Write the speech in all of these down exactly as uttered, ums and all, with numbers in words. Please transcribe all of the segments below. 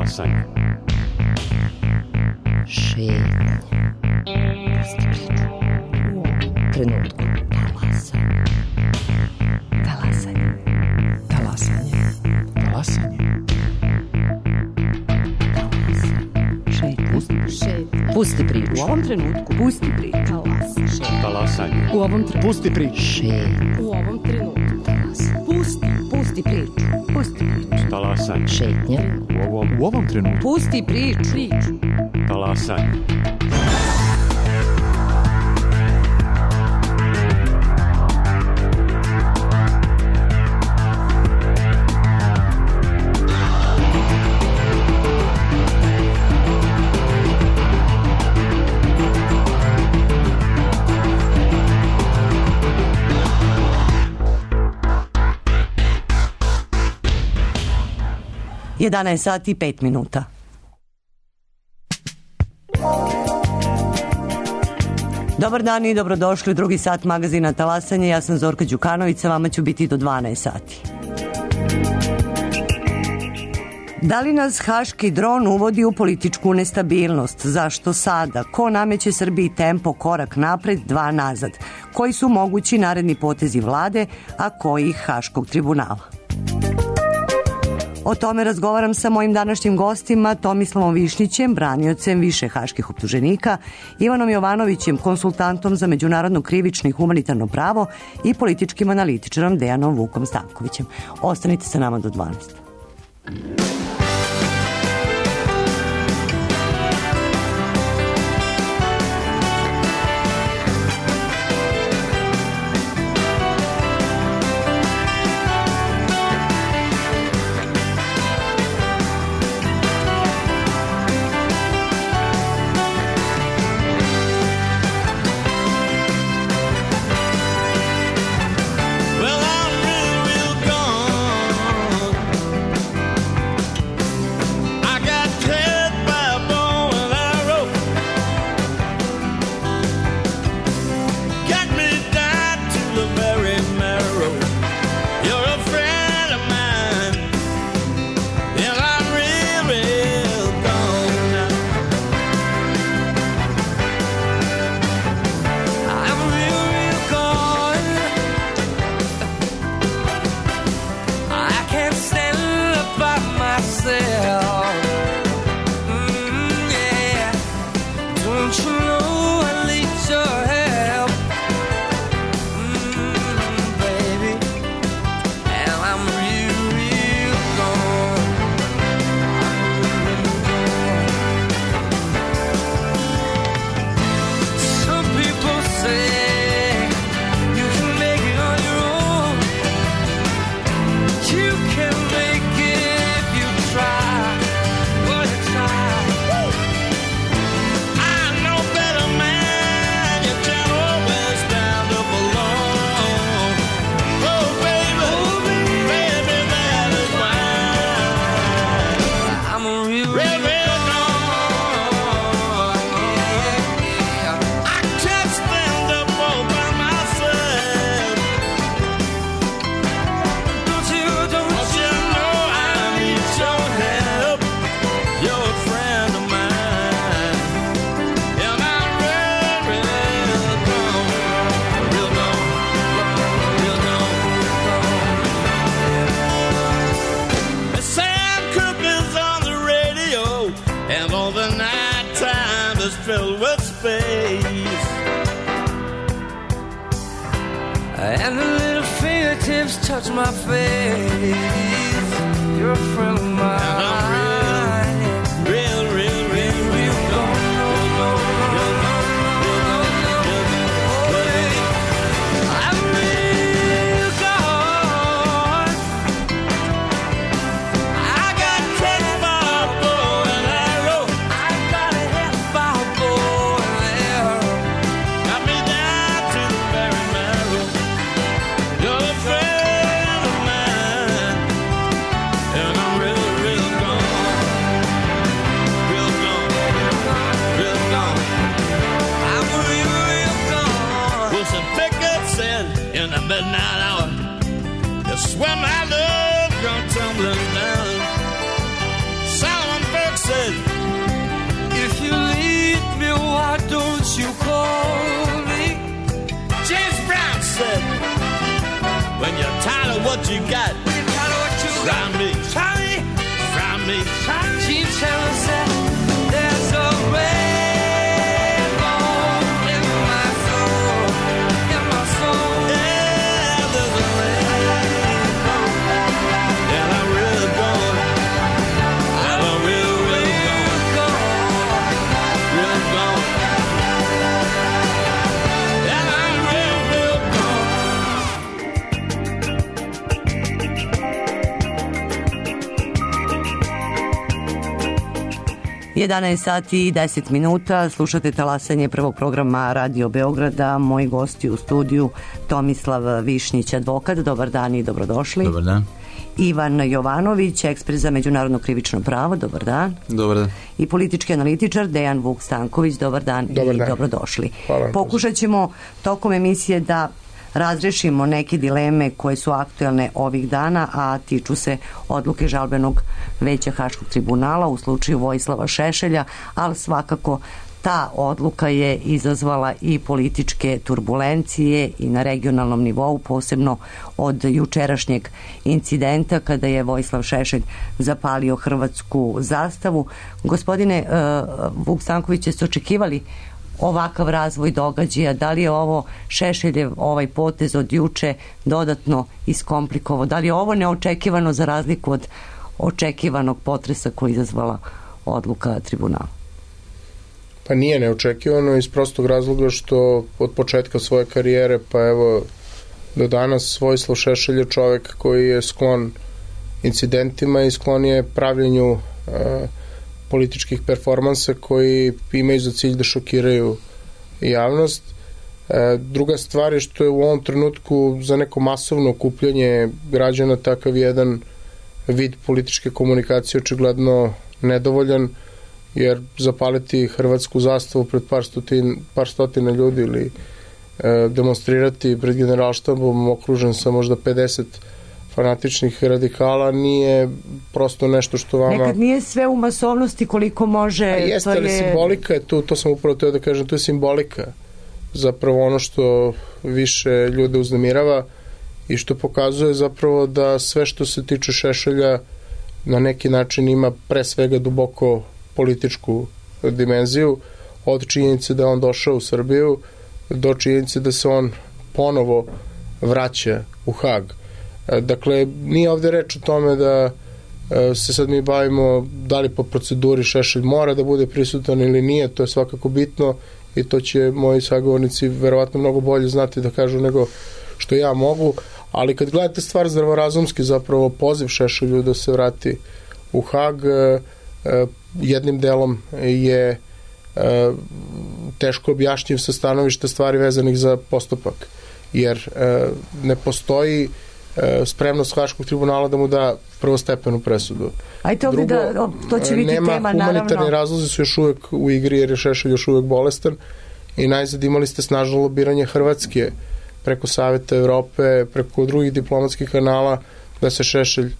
Talasanje. Šetnje. Pusti priču. U ovom trenutku. Talasanje. Talasanje. Talasanje. Talasanje. Šetnje. Pusti priču. U ovom trenutku. Pusti priču. Talasanje. Talasanje. U ovom trenutku. Pusti priču. Šetnje. U ovom trenutku. Talasanje. Pusti. Pusti priču. Pusti priču. Talasanje. Šetnje. U ovom, u ovom trenutku. Pusti priču. Priču. Talasanje. jedanaest sati i pet minuta. Dobar dan i dobrodošli u drugi sat magazina Talasanje. Ja sam Zorka Đukanović, sa vama ću biti do dvanaest sati. Da li nas haški dron uvodi u političku nestabilnost? Zašto sada? Ko nameće Srbiji tempo korak napred, dva nazad? Koji su mogući naredni potezi vlade, a koji haškog tribunala? O tome razgovaram sa mojim današnjim gostima, Tomislavom Višnjićem, braniocem više haških optuženika, Ivanom Jovanovićem, konsultantom za međunarodno krivično i humanitarno pravo i političkim analitičarom Dejanom Vukom Stankovićem. Ostanite sa nama do dvanaest. Touch my face. You're a friend of mine. And I'm real, real, real, real, real gone. Real gone, real gone, real gone, real gone. I'm real gone. I got taken by a bow and arrow. I got a hit by a bow and arrow. Got me down to the very marrow. You're a friend. In the midnight hour, you swear my love gone tumbling down. Solomon you're tired of what you got. Try me, try me, try me, try me. She tells that there's a red bone in my soul, in my soul. Yeah, there's a red bone, and I'm real gone, and I'm real, real gone, real gone, and I'm real, real gone. jedanaest sati i deset minuta, slušate talasanje prvog programa Radio Beograda. Moji gosti u studiju Tomislav Višnjić, advokat. Dobar dan i dobrodošli. Dobar dan. Ivan Jovanović, ekspert za međunarodno krivično pravo. Dobar dan. Dobar dan. I politički analitičar Dejan Vuk Stanković. Dobar dan Dobar i dan. dobrodošli. Hvala. Pokušat ćemo tokom emisije da razrešimo neke dileme koje su aktuelne ovih dana, a tiču se odluke žalbenog veća Haškog tribunala u slučaju Vojislava Šešelja, ali svakako ta odluka je izazvala i političke turbulencije i na regionalnom nivou, posebno od jučerašnjeg incidenta kada je Vojislav Šešelj zapalio hrvatsku zastavu. Gospodine uh, Vuk Stanković, jeste očekivali ovakav razvoj događaja? Da li je ovo Šešeljev ovaj potez od juče dodatno iskomplikovao? Da li je ovo neočekivano za razliku od očekivanog potresa koji je izazvala odluka tribunala? Pa nije neočekivano iz prostog razloga što od početka svoje karijere pa evo do danas Vojislav Šešelj je čovek koji je sklon incidentima i sklon je pravljenju uh, političkih performansa koji imaju za cilj da šokiraju javnost. E, druga stvar je što je u ovom trenutku za neko masovno okupljanje građana takav jedan vid političke komunikacije očigledno nedovoljan, jer zapaliti hrvatsku zastavu pred par, stotin, par stotina ljudi ili e, demonstrirati pred generalštabom okružen sa možda pedeset fanatičnih radikala nije prosto nešto što vama... Nekad nije sve u masovnosti koliko može... A jeste, ali je... simbolika je tu, to sam upravo teo da kažem, to je simbolika. Zapravo ono što više ljude uznemirava i što pokazuje zapravo da sve što se tiče Šešelja na neki način ima pre svega duboko političku dimenziju, od činjenice da je on došao u Srbiju do činjenice da se on ponovo vraća u Hag. Dakle, nije ovde reč o tome da se sad mi bavimo da li po proceduri Šešelj mora da bude prisutan ili nije, to je svakako bitno i to će moji sagovornici verovatno mnogo bolje znati da kažu nego što ja mogu, ali kad gledate stvar zdravorazumski, zapravo poziv Šešelju da se vrati u Hag jednim delom je teško objašnjiv sa stanovišta stvari vezanih za postupak, jer ne postoji spremnost Haškog tribunala da mu da prvostepenu presudu. Ajde ovdje da, to će biti tema, naravno. Nema, humanitarni razlozi su još uvek u igri jer je Šešelj još uvek bolestan i najzad imali ste snažno lobiranje Hrvatske preko Saveta Evrope, preko drugih diplomatskih kanala da se Šešelj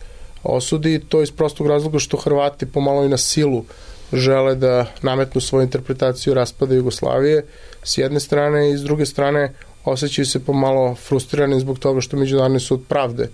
osudi. To iz prostog razloga što Hrvati pomalo i na silu žele da nametnu svoju interpretaciju raspada Jugoslavije s jedne strane i s druge strane osjećaju se pomalo frustrirani zbog toga što Međunarodni sud pravde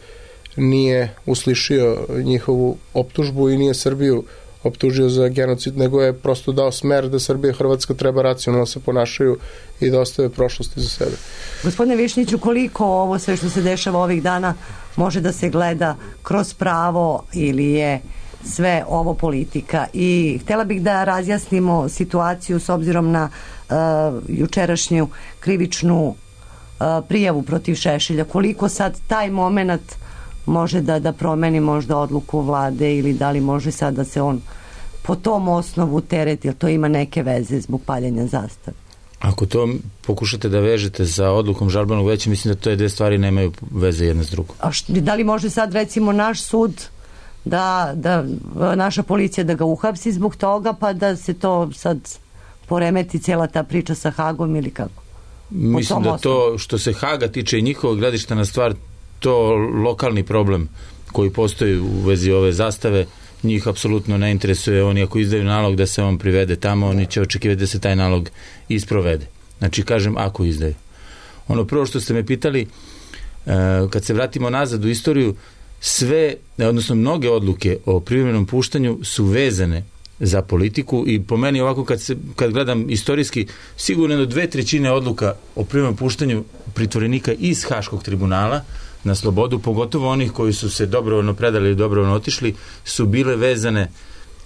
nije uslišio njihovu optužbu i nije Srbiju optužio za genocid, nego je prosto dao smer da Srbija i Hrvatska treba racionalno se ponašaju i da ostave prošlosti za sebe. Gospodine Višnjiću, koliko ovo sve što se dešava ovih dana može da se gleda kroz pravo ili je sve ovo politika? I htjela bih da razjasnimo situaciju s obzirom na uh, jučerašnju krivičnu uh, prijavu protiv Šešelja. Koliko sad taj moment može da, da promeni možda odluku vlade ili da li može sad da se on po tom osnovu tereti, jer to ima neke veze zbog paljenja zastave? Ako to pokušate da vežete sa odlukom žalbenog veća, mislim da to dve stvari nemaju veze jedna s drugom. A š, da li može sad recimo naš sud da, da naša policija da ga uhapsi zbog toga pa da se to sad poremeti cijela ta priča sa Hagom ili kako? Mislim da to što se Haga tiče i njihovog gledišta na stvar, to lokalni problem koji postoji u vezi ove zastave, njih apsolutno ne interesuje. Oni ako izdaju nalog da se on privede tamo, oni će očekivati da se taj nalog isprovede. Znači, kažem, ako izdaju. Ono prvo što ste me pitali, kad se vratimo nazad u istoriju, sve, odnosno mnoge odluke o privremenom puštanju su vezane za politiku i po meni ovako kad, se, kad gledam istorijski, sigurno do dve trećine odluka o privremenom puštanju pritvorenika iz Haškog tribunala na slobodu, pogotovo onih koji su se dobrovoljno predali ili dobrovoljno otišli, su bile vezane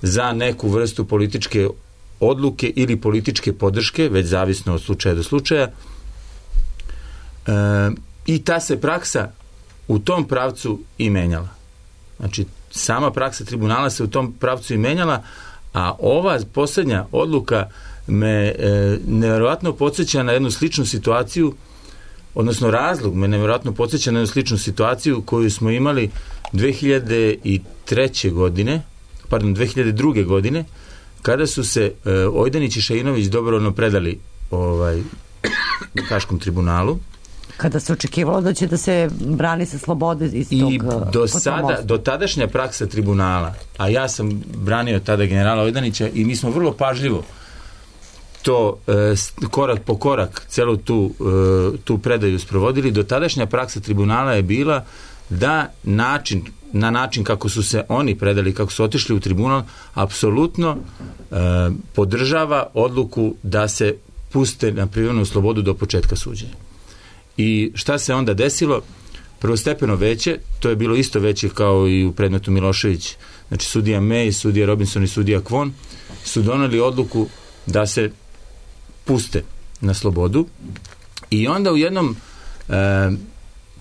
za neku vrstu političke odluke ili političke podrške, već zavisno od slučaja do slučaja. E, I ta se praksa u tom pravcu i menjala. Znači, sama praksa tribunala se u tom pravcu i menjala, a ova posljednja odluka me e, nevjerojatno podsjeća na jednu sličnu situaciju, odnosno razlog me nevjerojatno podsjeća na jednu sličnu situaciju koju smo imali dve hiljade treće. godine, pardon, dve hiljade druge. godine, kada su se e, Ojdanić i Šainović dobrovoljno predali ovaj, Haškom tribunalu. Kada se očekivalo da će da se brani sa slobode iz tog... I do sada, do tadašnja praksa tribunala, a ja sam branio tada generala Ojdanića i mi smo vrlo pažljivo to e, korak po korak celu tu, e, tu predaju sprovodili. Do tadašnja praksa tribunala je bila da način, na način kako su se oni predali, kako su otišli u tribunal, apsolutno e, podržava odluku da se puste na privremenu slobodu do početka suđenja. I šta se onda desilo? Prvostepeno veće, to je bilo isto veće kao i u predmetu Milošević, znači sudija May, sudija Robinson i sudija Kvon su doneli odluku da se puste na slobodu i onda u jednom e,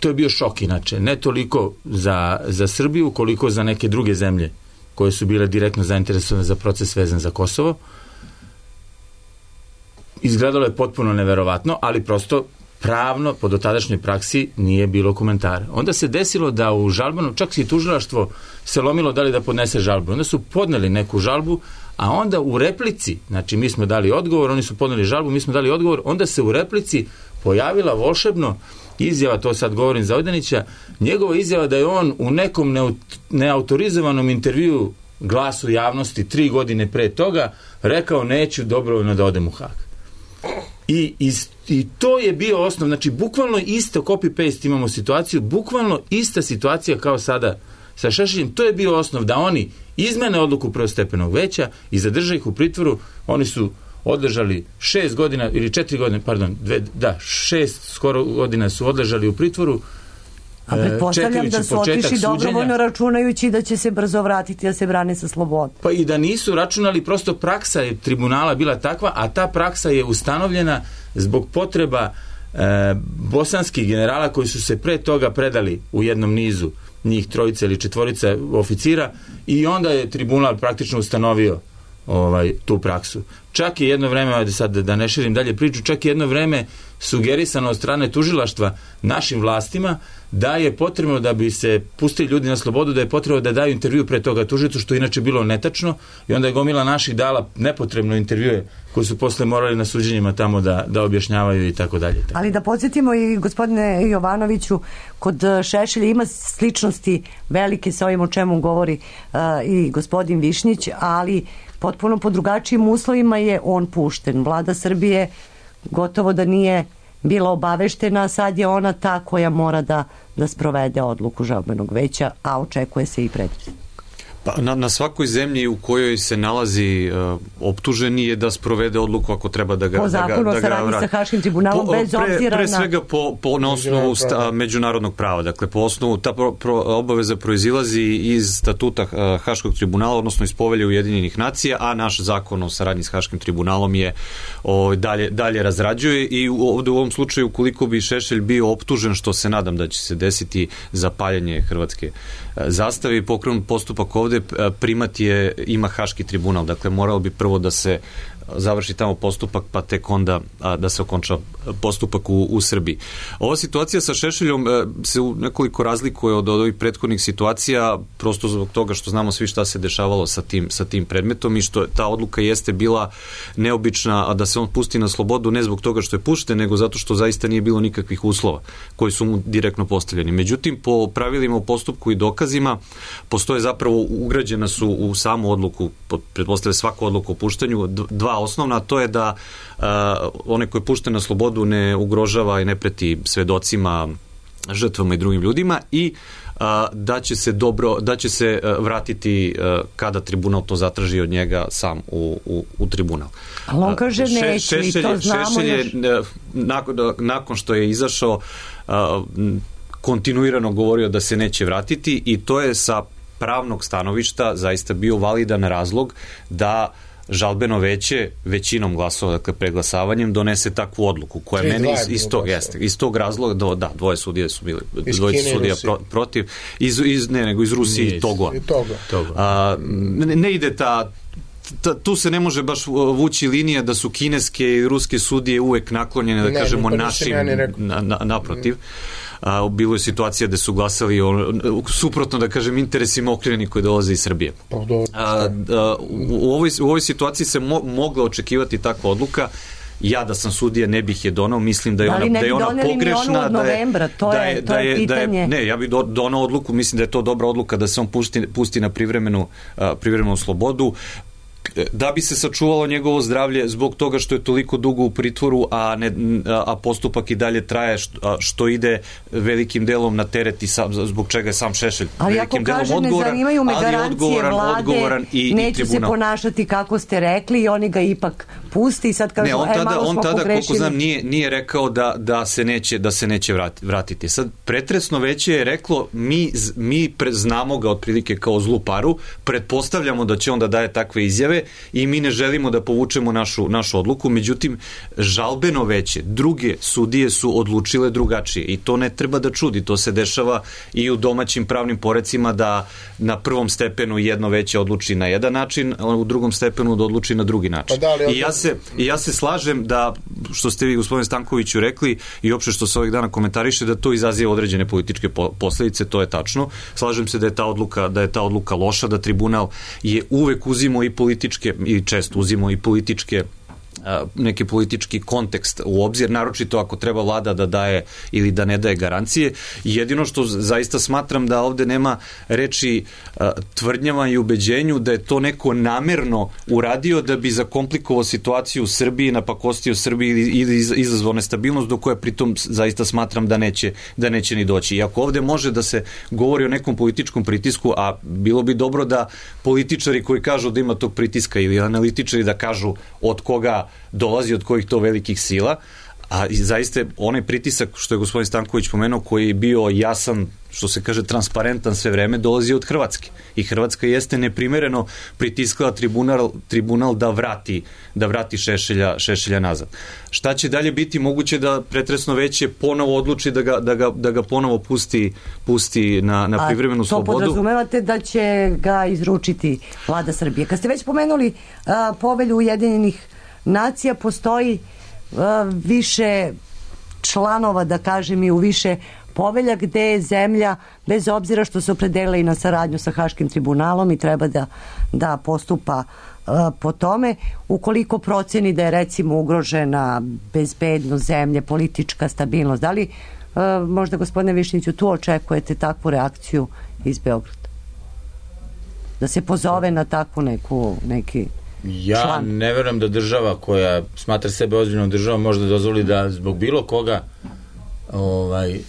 to je bio šok inače, ne toliko za, za Srbiju koliko za neke druge zemlje koje su bile direktno zainteresovane za proces vezan za Kosovo. Izgledalo je potpuno neverovatno, ali prosto pravno, po dotadašnjoj praksi, nije bilo komentara. Onda se desilo da u žalbenom, čak i tužilaštvo se lomilo da li da podnese žalbu. Onda su podneli neku žalbu, a onda u replici, znači mi smo dali odgovor, oni su podneli žalbu, mi smo dali odgovor, onda se u replici pojavila volšebno izjava, to sad govorim za Ojdanića, njegova izjava da je on u nekom neautorizovanom intervjuu Glasu javnosti tri godine pre toga rekao neću dobrovoljno da odem u Hag. I, i, i to je bio osnov, znači bukvalno isto copy-paste imamo situaciju, bukvalno ista situacija kao sada sa Šešeljem, to je bio osnov da oni izmene odluku prvostepenog veća i zadrže ih u pritvoru. Oni su odležali šest godina ili četiri godine, pardon, dve, da, šest skoro godina su odležali u pritvoru. A pretpostavljam da su otišli dobrovoljno računajući da će se brzo vratiti da se brane sa slobodom. Pa i da nisu računali, prosto praksa je tribunala bila takva, a ta praksa je ustanovljena zbog potreba e, bosanskih generala koji su se pre toga predali u jednom nizu, njih trojica ili četvorica oficira, i onda je tribunal praktično ustanovio ovaj, tu praksu. Čak je jedno vreme, sad da ne širim dalje priču, čak je jedno vreme sugerisano od strane tužilaštva našim vlastima da je potrebno da bi se pustili ljudi na slobodu, da je potrebno da daju intervju pre toga tužilaštvu, što inače bilo netačno, i onda je gomila naših dala nepotrebno intervjue koji su posle morali na suđenjima tamo da, da objašnjavaju i tako dalje. Ali da podsjetimo i gospodine Jovanoviću, kod Šešelja ima sličnosti velike sa ovim o čemu govori uh, i gospodin Višnjić, ali potpuno po drugačijim uslovima je on pušten. Vlada Srbije gotovo da nije bila obaveštena, sad je ona ta koja mora da, da sprovede odluku žalbenog veća, a očekuje se i predmet. Pa na, na svakoj zemlji u kojoj se nalazi uh, optuženi je da sprovede odluku ako treba da ga... Po zakonu da ga, o saradnji sa Haškim tribunalom, po, bez pre, obzira pre na... Pre svega po, po, na osnovu sta, međunarodnog prava. Dakle, po osnovu ta pro, pro, obaveza proizilazi iz statuta uh, Haškog tribunala, odnosno iz Povelje Ujedinjenih nacija, a naš zakon o saradnji s Haškim tribunalom je o, dalje, dalje razrađuje, i u, ovde u ovom slučaju, ukoliko bi Šešelj bio optužen, što se nadam da će se desiti za paljenje hrvatske uh, zastave i pokrenut postupak ovde, uh, primat je, ima Haški tribunal, dakle moralo bi prvo da se završi tamo postupak, pa tek onda a, da se okonča postupak u, u Srbiji. Ova situacija sa Šešeljom e, se u nekoliko razlikuje od, od ovih prethodnih situacija, prosto zbog toga što znamo svi šta se dešavalo sa tim, sa tim predmetom, i što ta odluka jeste bila neobična, a da se on pusti na slobodu ne zbog toga što je pušten, nego zato što zaista nije bilo nikakvih uslova koji su mu direktno postavljeni. Međutim, po pravilima o postupku i dokazima postoje zapravo, ugrađena su u samu odluku, pretpostavlja svaku odluku o puštanju, dva osnovna, a to je da uh, onaj koji je pušten na slobodu ne ugrožava i ne preti svedocima žrtvama i drugim ljudima i a, da će se dobro, da će se a, vratiti a, kada tribunal to zatraži od njega sam u, u, u tribunal. Ali on kaže Še, neću i to znamo Šešelj je, još. nakon, nakon što je izašao a, kontinuirano govorio da se neće vratiti i to je sa pravnog stanovišta zaista bio validan razlog da žalbeno veće većinom glasova, dakle preglasavanjem, donese takvu odluku koja je meni iz, iz, tog, jeste, iz tog razloga, do, da, dvoje sudije su bili, dvoje sudija pro, protiv, iz, iz, ne, nego iz Rusije i Togo. A, ne, ne ide ta Ta, tu se ne može baš vući linija da su kineske i ruske sudije uvek naklonjene, da ne, kažemo, našim, na, na, naprotiv. A, bilo je situacija da su glasali on, suprotno, da kažem, interesima okrivljeni koji dolaze iz Srbije. A, a, u, ovoj, u ovoj situaciji se mo, mogla očekivati takva odluka. Ja da sam sudija ne bih je donao, mislim da je ona, da je ona pogrešna, da je, to je, da je, to je, je, pitanje. Da je, ne, ja bih do, donao odluku, mislim da je to dobra odluka da se on pusti, pusti na privremenu, a, privremenu slobodu, da bi se sačuvalo njegovo zdravlje zbog toga što je toliko dugo u pritvoru, a, ne, a postupak i dalje traje, što, što ide velikim delom na teret i sam, zbog čega je sam Šešelj ali velikim delom kaže, odgovoran, ne zanimaju me ali odgovoran, vlade, odgovoran i, neće i tribunal. Se ponašati kako ste rekli i oni ga ipak pusti i sad kažu, ne, on tada, e, malo on smo tada, pogrešili. koliko znam, nije, nije rekao da, da se neće, da se neće vratiti. Sad, pretresno veće je reklo, mi, mi pre, znamo ga otprilike kao zlu paru, pretpostavljamo da će on da daje takve izjave i mi ne želimo da povučemo našu, našu odluku, međutim, žalbeno veće, druge sudije su odlučile drugačije i to ne treba da čudi, to se dešava i u domaćim pravnim porecima da na prvom stepenu jedno veće odluči na jedan način, a u drugom stepenu da odluči na drugi način. Pa da, ali, I, ja se, I ja se slažem da, što ste vi, gospodine Stankoviću, rekli i opšte što se ovih dana komentariše, da to izaziva određene političke posledice, to je tačno. Slažem se da je ta odluka, da je ta odluka loša, da tribunal je uvek uzimao i političke, i često uzimao i političke neki politički kontekst u obzir, naročito ako treba vlada da daje ili da ne daje garancije. Jedino što zaista smatram da ovde nema reči tvrdnjama i ubeđenju da je to neko namerno uradio da bi zakomplikovao situaciju u Srbiji, napakostio Srbiji ili izazvao nestabilnost do koje pritom zaista smatram da neće, da neće ni doći. I ako ovde može da se govori o nekom političkom pritisku, a bilo bi dobro da političari koji kažu da ima tog pritiska ili analitičari da kažu od koga dolazi, od kojih to velikih sila, a zaista onaj pritisak što je gospodin Stanković pomenuo, koji je bio jasan, što se kaže transparentan sve vreme, dolazi od Hrvatske. I Hrvatska jeste neprimereno pritiskala tribunal, tribunal da vrati, da vrati Šešelja, Šešelja nazad. Šta će dalje biti? Moguće da pretresno veće ponovo odluči da ga, da ga, da ga ponovo pusti, pusti na, na privremenu slobodu. A to podrazumevate da će ga izručiti vlada Srbije. Kad ste već pomenuli a, povelju Ujedinjenih nacija, postoji uh, više članova, da kažem, i u više povelja gde je zemlja, bez obzira što se opredelila i na saradnju sa Haškim tribunalom i treba da, da postupa uh, po tome, ukoliko proceni da je recimo ugrožena bezbednost zemlje, politička stabilnost. Da li uh, možda, gospodine Višnjiću, tu očekujete takvu reakciju iz Beograda? Da se pozove na takvu neku, neki Ja član. Ne verujem da država koja smatra sebe ozbiljnom državom možda dozvoli da zbog bilo koga ovaj,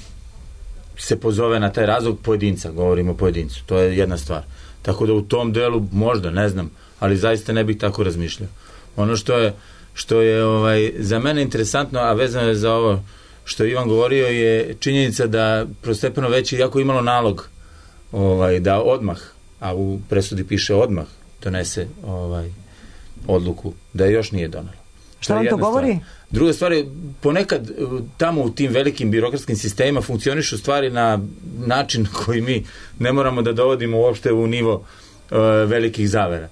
se pozove na taj razlog pojedinca, govorimo o pojedincu, to je jedna stvar. Tako da u tom delu možda, ne znam, ali zaista ne bih tako razmišljao. Ono što je, što je ovaj, za mene interesantno, a vezano je za ovo što Ivan govorio, je činjenica da prostepeno veće, iako imalo nalog ovaj, da odmah, a u presudi piše odmah, donese ovaj odluku, da je još nije donelo. Šta vam to govori? Stvar. Druga stvar je, ponekad tamo u tim velikim birokratskim sistemima funkcionišu stvari na način koji mi ne moramo da dovodimo uopšte u nivo uh, velikih zavera.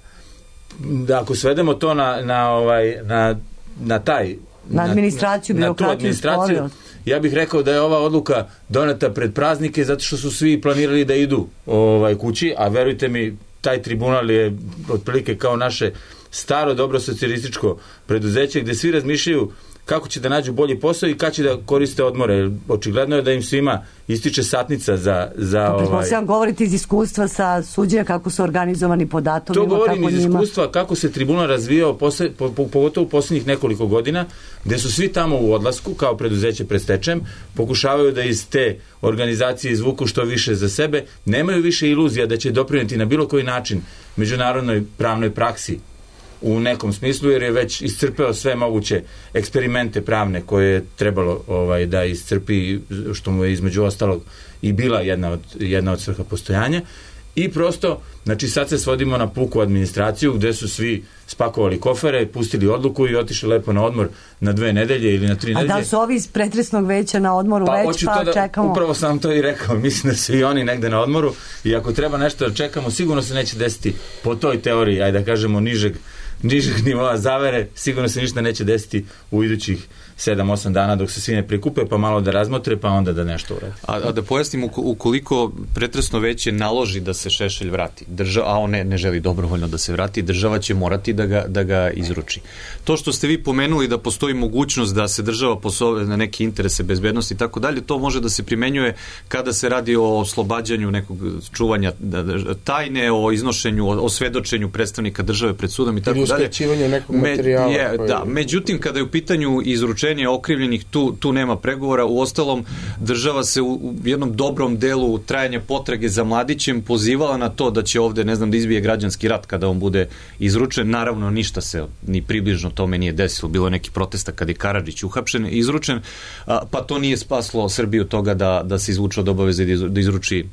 Da ako svedemo to na, na, ovaj, na, na taj na administraciju, na, birokratiju, na tu administraciju, ja bih rekao da je ova odluka doneta pred praznike zato što su svi planirali da idu ovaj, kući, a verujte mi, taj tribunal je otprilike kao naše staro dobro socijalističko preduzeće gde svi razmišljaju kako će da nađu bolji posao i kada će da koriste odmore. Očigledno je da im svima ističe satnica za... za Pretpostavljam, ovaj... govorite iz iskustva sa suđenja kako su organizovani po datumima. To govorim kako iz njima... iskustva kako se tribunal razvijao posle, po, po, pogotovo u posljednjih nekoliko godina, gde su svi tamo u odlasku kao preduzeće pred stečajem, pokušavaju da iz te organizacije izvuku što više za sebe, nemaju više iluzija da će doprineti na bilo koji način međunarodnoj pravnoj praksi u nekom smislu, jer je već iscrpeo sve moguće eksperimente pravne koje je trebalo ovaj, da iscrpi, što mu je između ostalog i bila jedna od, jedna od svrha postojanja. I prosto, znači sad se svodimo na puku administraciju gde su svi spakovali kofere, pustili odluku i otišli lepo na odmor na dve nedelje ili na tri nedelje. A da su ovi iz pretresnog veća na odmoru pa, već, pa da, čekamo? Upravo sam to i rekao, mislim da su i oni negde na odmoru i ako treba nešto da čekamo, sigurno se neće desiti po toj teoriji, ajde da kažemo nižeg, nižeg nivoa zavere, sigurno se ništa neće desiti u idućih sedam osam dana dok se svi ne prikupe, pa malo da razmotre, pa onda da nešto uradi. A, a da pojasnim, ukoliko pretresno veće naloži da se Šešelj vrati, država, a on ne, ne želi dobrovoljno da se vrati, država će morati da ga, da ga izruči. To što ste vi pomenuli da postoji mogućnost da se država posove na neke interese bezbednosti i tako dalje, to može da se primenjuje kada se radi o oslobađanju nekog čuvanja tajne, o iznošenju, o, o svedočenju predstavnika države pred sudom i tako dalje. Ili uskraćivanje nekog materijala. Je, koji... Da, međutim, kada je u pitanju izručenje okrivljenih, tu, tu nema pregovora. U ostalom, država se u, u jednom dobrom delu trajanja potrage za mladićem pozivala na to da će ovde, ne znam, da izbije građanski rat kada on bude izručen. Naravno, ništa se ni približno tome nije desilo. Bilo je neki protesta kada je Karadžić uhapšen, izručen, a, pa to nije spaslo Srbiju toga da, da se izvuče od obaveze da izruči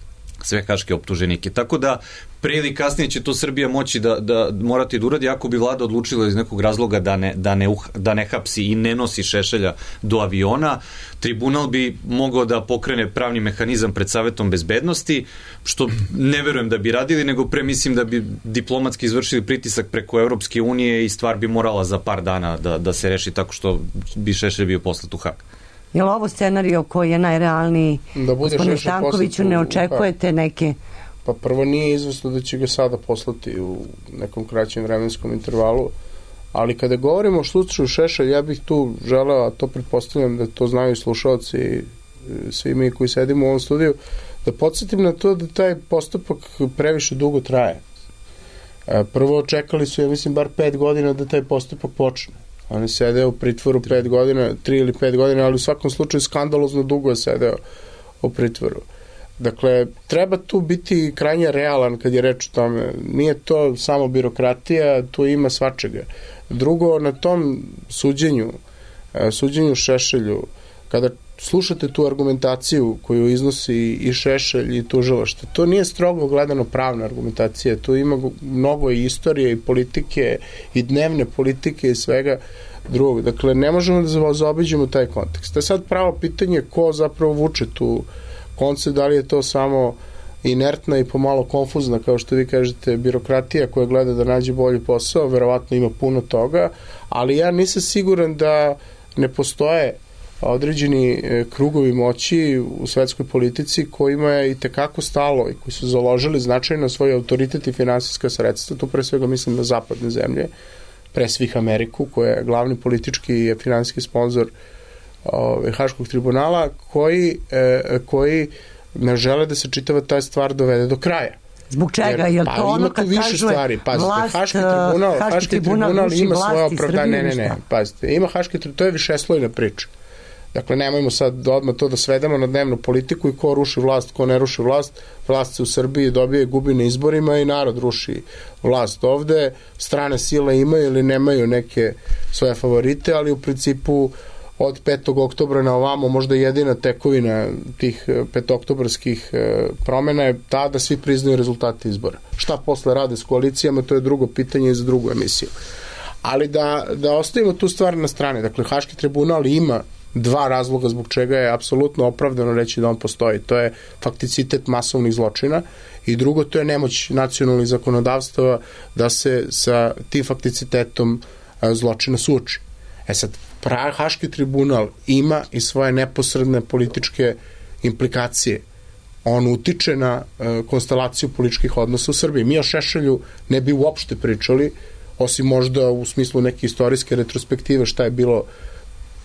sve haške optuženike. Tako da pre ili kasnije će to Srbija moći da, da morati da uradi ako bi vlada odlučila iz nekog razloga da ne, da ne, uh, da ne hapsi i ne nosi Šešelja do aviona. Tribunal bi mogao da pokrene pravni mehanizam pred Savetom bezbednosti, što ne verujem da bi radili, nego pre mislim da bi diplomatski izvršili pritisak preko Evropske unije i stvar bi morala za par dana da, da se reši tako što bi Šešelj bio poslat u Hag. Je li ovo scenario koji je najrealniji? Da bude Gospodine Stankoviću, ne očekujete neke... Pa prvo nije izvesno da će ga sada poslati u nekom kraćem vremenskom intervalu, ali kada govorimo o slučaju Šešelj, ja bih tu želeo, a to pretpostavljam da to znaju i slušalci i svi mi koji sedimo u ovom studiju, da podsjetim na to da taj postupak previše dugo traje. Prvo čekali su, ja mislim, bar pet godina da taj postupak počne. On je sedeo u pritvoru pet godina, tri ili pet godina, ali u svakom slučaju skandalozno dugo je sedeo u pritvoru. Dakle, treba tu biti krajnje realan kad je reč o tome. Nije to samo birokratija, tu ima svačega. Drugo, na tom suđenju, suđenju Šešelju, kada slušate tu argumentaciju koju iznosi i Šešelj i tužilaštvo, to nije strogo gledano pravna argumentacija, tu ima mnogo i istorije i politike i dnevne politike i svega drugog. Dakle, ne možemo da zaobiđemo taj kontekst. To je sad pravo pitanje ko zapravo vuče tu koncept, da li je to samo inertna i pomalo konfuzna, kao što vi kažete, birokratija koja gleda da nađe bolji posao, verovatno ima puno toga, ali ja nisam siguran da ne postoje određeni krugovi moći u svetskoj politici kojima je i tekako stalo i koji su založili značajno svoj autoritet i finansijska sredstva, tu pre svega mislim na zapadne zemlje, pre svih Ameriku, koja je glavni politički i finansijski sponsor ove, Haškog tribunala, koji, e, koji ne žele da se čitava ta stvar dovede do kraja. Zbog čega? Je li pa, to ono kad više kažu stvari. Pazite, vlast, Haški tribunal, Haški Haški tribunal, tribunal ima svoje opravdanje. Ne, ne, ne, pazite, ima Haški tribunal, to je višeslojna priča. Dakle, nemojmo sad odmah to da svedemo na dnevnu politiku i ko ruši vlast, ko ne ruši vlast. Vlast se u Srbiji dobije, gubi na izborima i narod ruši vlast ovde. Strane sile imaju ili nemaju neke svoje favorite, ali u principu od petog oktobra na ovamo možda jedina tekovina tih petoktobarskih promena je ta da svi priznaju rezultate izbora. Šta posle rade s koalicijama, to je drugo pitanje i za drugu emisiju. Ali da, da ostavimo tu stvar na strane. Dakle, Haški tribunal ima dva razloga zbog čega je apsolutno opravdano reći da on postoji. To je fakticitet masovnih zločina i drugo, to je nemoć nacionalnih zakonodavstava da se sa tim fakticitetom zločina suoči. E sad, Haški tribunal ima i svoje neposredne političke implikacije. On utiče na konstelaciju političkih odnosa u Srbiji. Mi o Šešelju ne bi uopšte pričali, osim možda u smislu neke istorijske retrospektive šta je bilo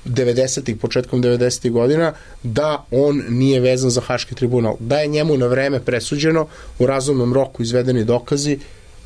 devedesetih, početkom devedesetih godina, da on nije vezan za Haški tribunal. Da je njemu na vreme presuđeno, u razumnom roku izvedeni dokazi,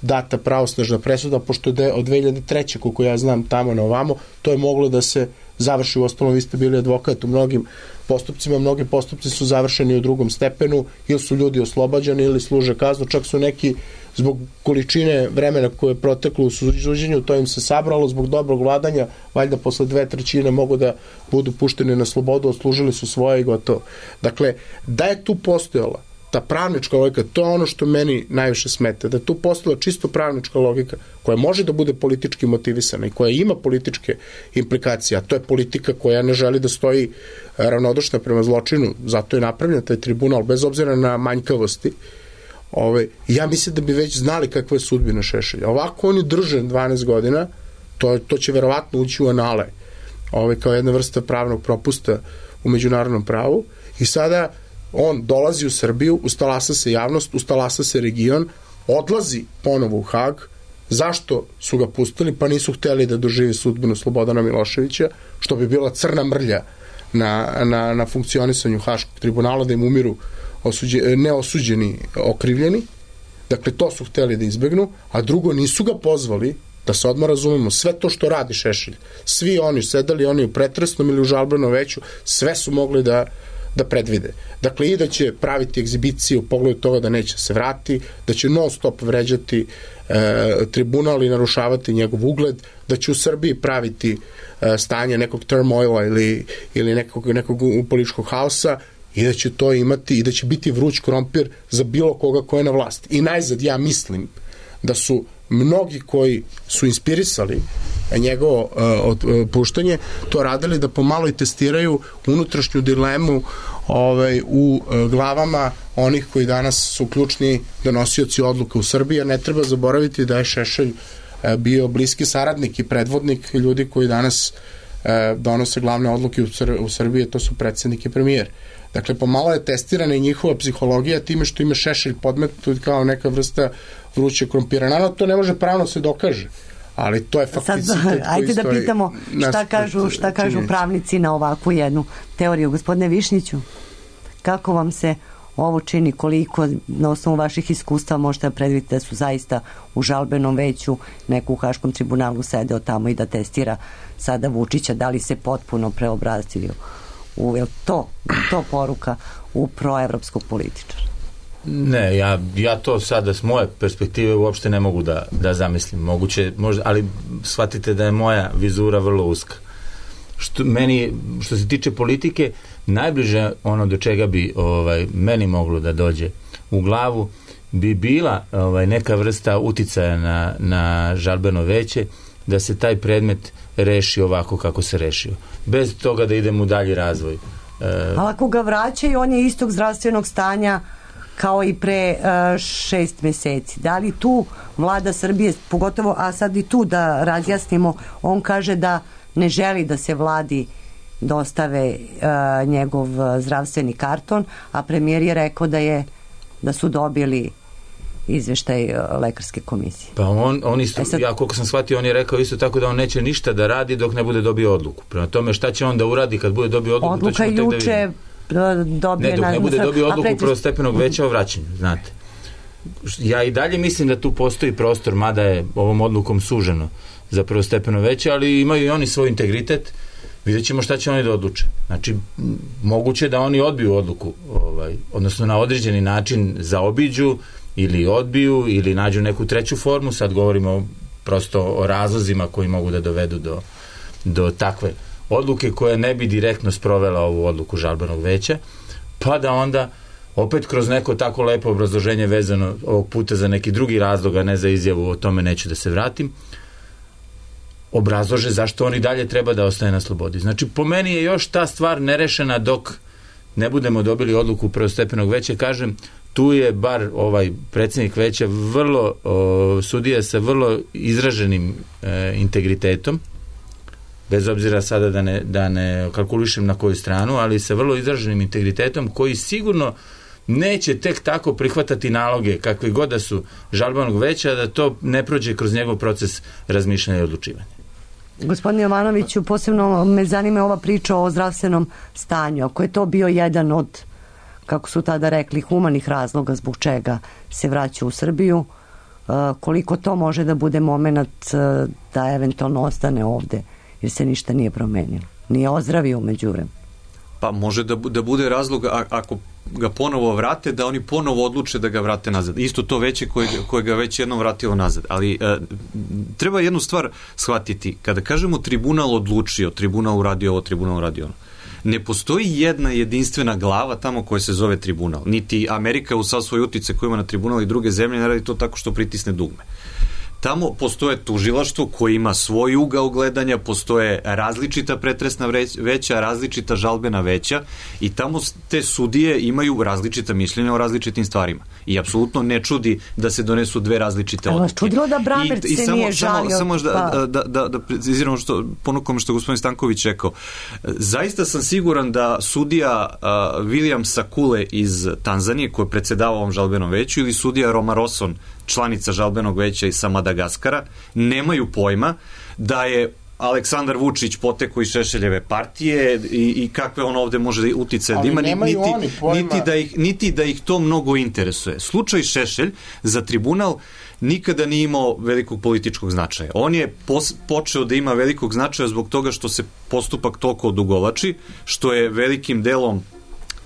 data pravosnažna presuda, pošto je od dve hiljade treće koliko ja znam tamo na ovamo, to je moglo da se završi. U ostalom, vi ste bili advokat u mnogim postupcima, mnogi postupci su završeni u drugom stepenu, ili su ljudi oslobađani ili služe kaznu, čak su neki zbog količine vremena koje je proteklo u suđenju, to im se sabralo zbog dobrog vladanja, valjda posle dve trećine mogu da budu pušteni na slobodu, odslužili su svoje i gotovo. Dakle, da je tu postojala ta pravnička logika, to je ono što meni najviše smeta, da je tu postojala čisto pravnička logika koja može da bude politički motivisana i koja ima političke implikacije, a to je politika koja ne želi da stoji ravnodušna prema zločinu, zato je napravljen taj tribunal, bez obzira na manjkavosti. Ove, ja mislim da bi već znali kakva je sudbina Šešelja. Ovako on je držan dvanaest godina, to, to će verovatno ući u anale, ove, kao jedna vrsta pravnog propusta u međunarodnom pravu, i sada on dolazi u Srbiju, ustalasa se javnost, ustalasa se region, odlazi ponovo u Hag. Zašto su ga pustili? Pa nisu hteli da doživi sudbinu Slobodana Miloševića, što bi bila crna mrlja na, na, na funkcionisanju Haškog tribunala, da im umiru osuđe, neosuđeni okrivljeni. Dakle, to su hteli da izbegnu, a drugo, nisu ga pozvali, da se odmah razumemo, sve to što radi Šešelj, svi oni sedali, oni u pretresnom ili u žalbenom veću, sve su mogli da da predvide. Dakle, i da će praviti egzibicije u pogledu toga da neće se vrati, da će non stop vređati e, tribunal i narušavati njegov ugled, da će u Srbiji praviti e, stanje nekog turmoila ili, ili nekog, nekog političkog haosa, i da će to imati i da će biti vruć krompir za bilo koga ko je na vlasti. I najzad, ja mislim da su mnogi koji su inspirisali njegovo uh, otpuštanje to radili da pomalo i testiraju unutrašnju dilemu ovaj, u uh, glavama onih koji danas su ključni donosioci odluka u Srbiji, a ne treba zaboraviti da je Šešelj uh, bio bliski saradnik i predvodnik ljudi koji danas uh, donose glavne odluke u, Sr u Srbiji, to su predsednik i premijer. Dakle, pomalo je testirana i njihova psihologija time što ima Šešelj podmetnut kao neka vrsta vruće krompira. Naravno, to ne može pravno se dokaže, ali to je fakticitet koji ajde da pitamo šta kažu, šta kažu pravnici na ovakvu jednu teoriju. Gospodine Višnjiću, kako vam se ovo čini, koliko na osnovu vaših iskustva možete da predvidite da su zaista u žalbenom veću, neko u Haškom tribunalu sedeo tamo i da testira sada Vučića, da li se potpuno preobrazili u, je to, to poruka u proevropskog političara? Ne, ja, ja to sada s moje perspektive uopšte ne mogu da, da zamislim. Moguće, možda, ali shvatite da je moja vizura vrlo uska. Što, meni, što se tiče politike, najbliže ono do čega bi ovaj, meni moglo da dođe u glavu bi bila ovaj, neka vrsta uticaja na, na žalbeno veće, da se taj predmet reši ovako kako se rešio. Bez toga da idemo u dalji razvoj. E, ali ako ga vraćaju, on je istog zdravstvenog stanja kao i pre uh, šest meseci. Da li tu vlada Srbije, pogotovo, a sad i tu da razjasnimo, on kaže da ne želi da se vladi dostave uh, njegov zdravstveni karton, a premijer je rekao da je da su dobili izveštaj uh, lekarske komisije. Pa on, on isto, e sad, ja koliko sam shvatio, on je rekao isto tako da on neće ništa da radi dok ne bude dobio odluku. Prema tome, šta će on da uradi kad bude dobio odluku? Odluka juče dobije ne, dok ne bude dobio odluku preći... prvostepenog veća o vraćanju, znate. Ja i dalje mislim da tu postoji prostor, mada je ovom odlukom suženo za prvostepeno veće, ali imaju i oni svoj integritet, vidjet ćemo šta će oni da odluče. Znači, moguće da oni odbiju odluku, ovaj, odnosno na određeni način zaobiđu ili odbiju ili nađu neku treću formu, sad govorimo prosto o razlozima koji mogu da dovedu do, do takve odluke koja ne bi direktno sprovela ovu odluku žalbenog veća, pa da onda opet kroz neko tako lepo obrazloženje vezano ovog puta za neki drugi razlog, a ne za izjavu, o tome neću da se vratim, obrazlože zašto oni dalje treba da ostaje na slobodi. Znači, po meni je još ta stvar nerešena dok ne budemo dobili odluku prvostepenog veća. Kažem, tu je bar ovaj predsjednik veća vrlo, o, sudija sa vrlo izraženim e, integritetom, bez obzira sada da ne, da ne kalkulišem na koju stranu, ali sa vrlo izraženim integritetom koji sigurno neće tek tako prihvatati naloge kakvi god da su žalbenog veća, da to ne prođe kroz njegov proces razmišljanja i odlučivanja. Gospodine Jovanoviću, posebno me zanima ova priča o zdravstvenom stanju. Ako je to bio jedan od, kako su tada rekli, humanih razloga zbog čega se vraća u Srbiju, koliko to može da bude moment da eventualno ostane ovde, jer se ništa nije promenilo, nije ozdravio umeđu vremenu? Pa može da, da bude razlog, a, ako ga ponovo vrate, da oni ponovo odluče da ga vrate nazad. Isto to veće koje, koje ga već jednom vratilo nazad. Ali e, treba jednu stvar shvatiti. Kada kažemo tribunal odlučio, tribunal uradio ovo, tribunal uradio ono, ne postoji jedna jedinstvena glava tamo koja se zove tribunal. Niti Amerika u sav svoj utice koji ima na tribunal i druge zemlje ne radi to tako što pritisne dugme. Tamo postoje tužilaštvo koje ima svoj ugao gledanja, postoje različita pretresna veća, različita žalbena veća i tamo te sudije imaju različita mišljenja o različitim stvarima. I apsolutno ne čudi da se donesu dve različite odluke. Ali čudilo da Bramberg se samo, nije žalio. Samo, samo da, da, da, da, da preciziramo što, ponukom što gospodin Stanković rekao. Zaista sam siguran da sudija uh, William Sakule iz Tanzanije, koji je predsedavao ovom žalbenom veću, ili sudija Roma Rosson, članica žalbenog veća sa Madagaskara, nemaju pojma da je Aleksandar Vučić potekao iz Šešeljeve partije i, i kakve on ovde može uticaje da ima, niti, niti, da ih, niti da ih to mnogo interesuje. Slučaj Šešelj za tribunal nikada nije imao velikog političkog značaja. On je pos, počeo da ima velikog značaja zbog toga što se postupak toliko odugovlači, što je velikim delom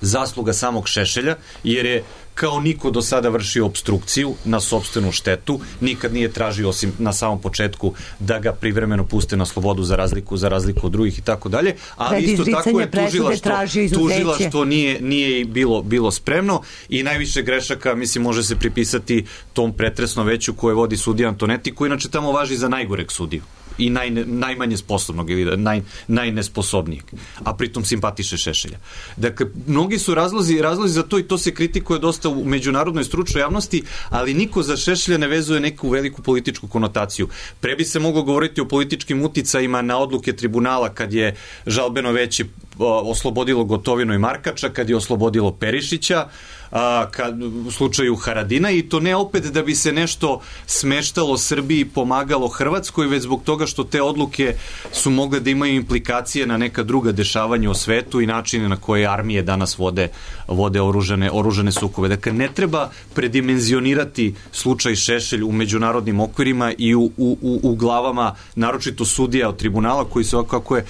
zasluga samog Šešelja, jer je kao niko do sada vršio obstrukciju na sopstvenu štetu, nikad nije tražio, osim na samom početku, da ga privremeno puste na slobodu za razliku za razliku od drugih i tako dalje, ali isto tako je tužilaštvo, tužilaštvo nije, nije bilo, bilo spremno i najviše grešaka, mislim, može se pripisati tom pretresnom veću koje vodi sudija Antonetti, koji inače tamo važi za najgoreg sudiju i naj, najmanje sposobnog ili naj, najnesposobnijeg, a pritom simpatiše Šešelja. Dakle, mnogi su razlozi, razlozi za to i to se kritikuje dosta u međunarodnoj stručnoj javnosti, ali niko za Šešelja ne vezuje neku veliku političku konotaciju. Pre bi se moglo govoriti o političkim uticajima na odluke tribunala kad je žalbeno veće oslobodilo Gotovinu i Markača, kad je oslobodilo Perišića, a, kad, u slučaju Haradina, i to ne opet da bi se nešto smeštalo Srbiji, pomagalo Hrvatskoj, već zbog toga što te odluke su mogle da imaju implikacije na neka druga dešavanja u svetu i načine na koje armije danas vode, vode oružane, oružane sukobe. Dakle, ne treba predimenzionirati slučaj Šešelj u međunarodnim okvirima i u, u, u, u glavama, naročito sudija od tribunala, koji se ovako, kako je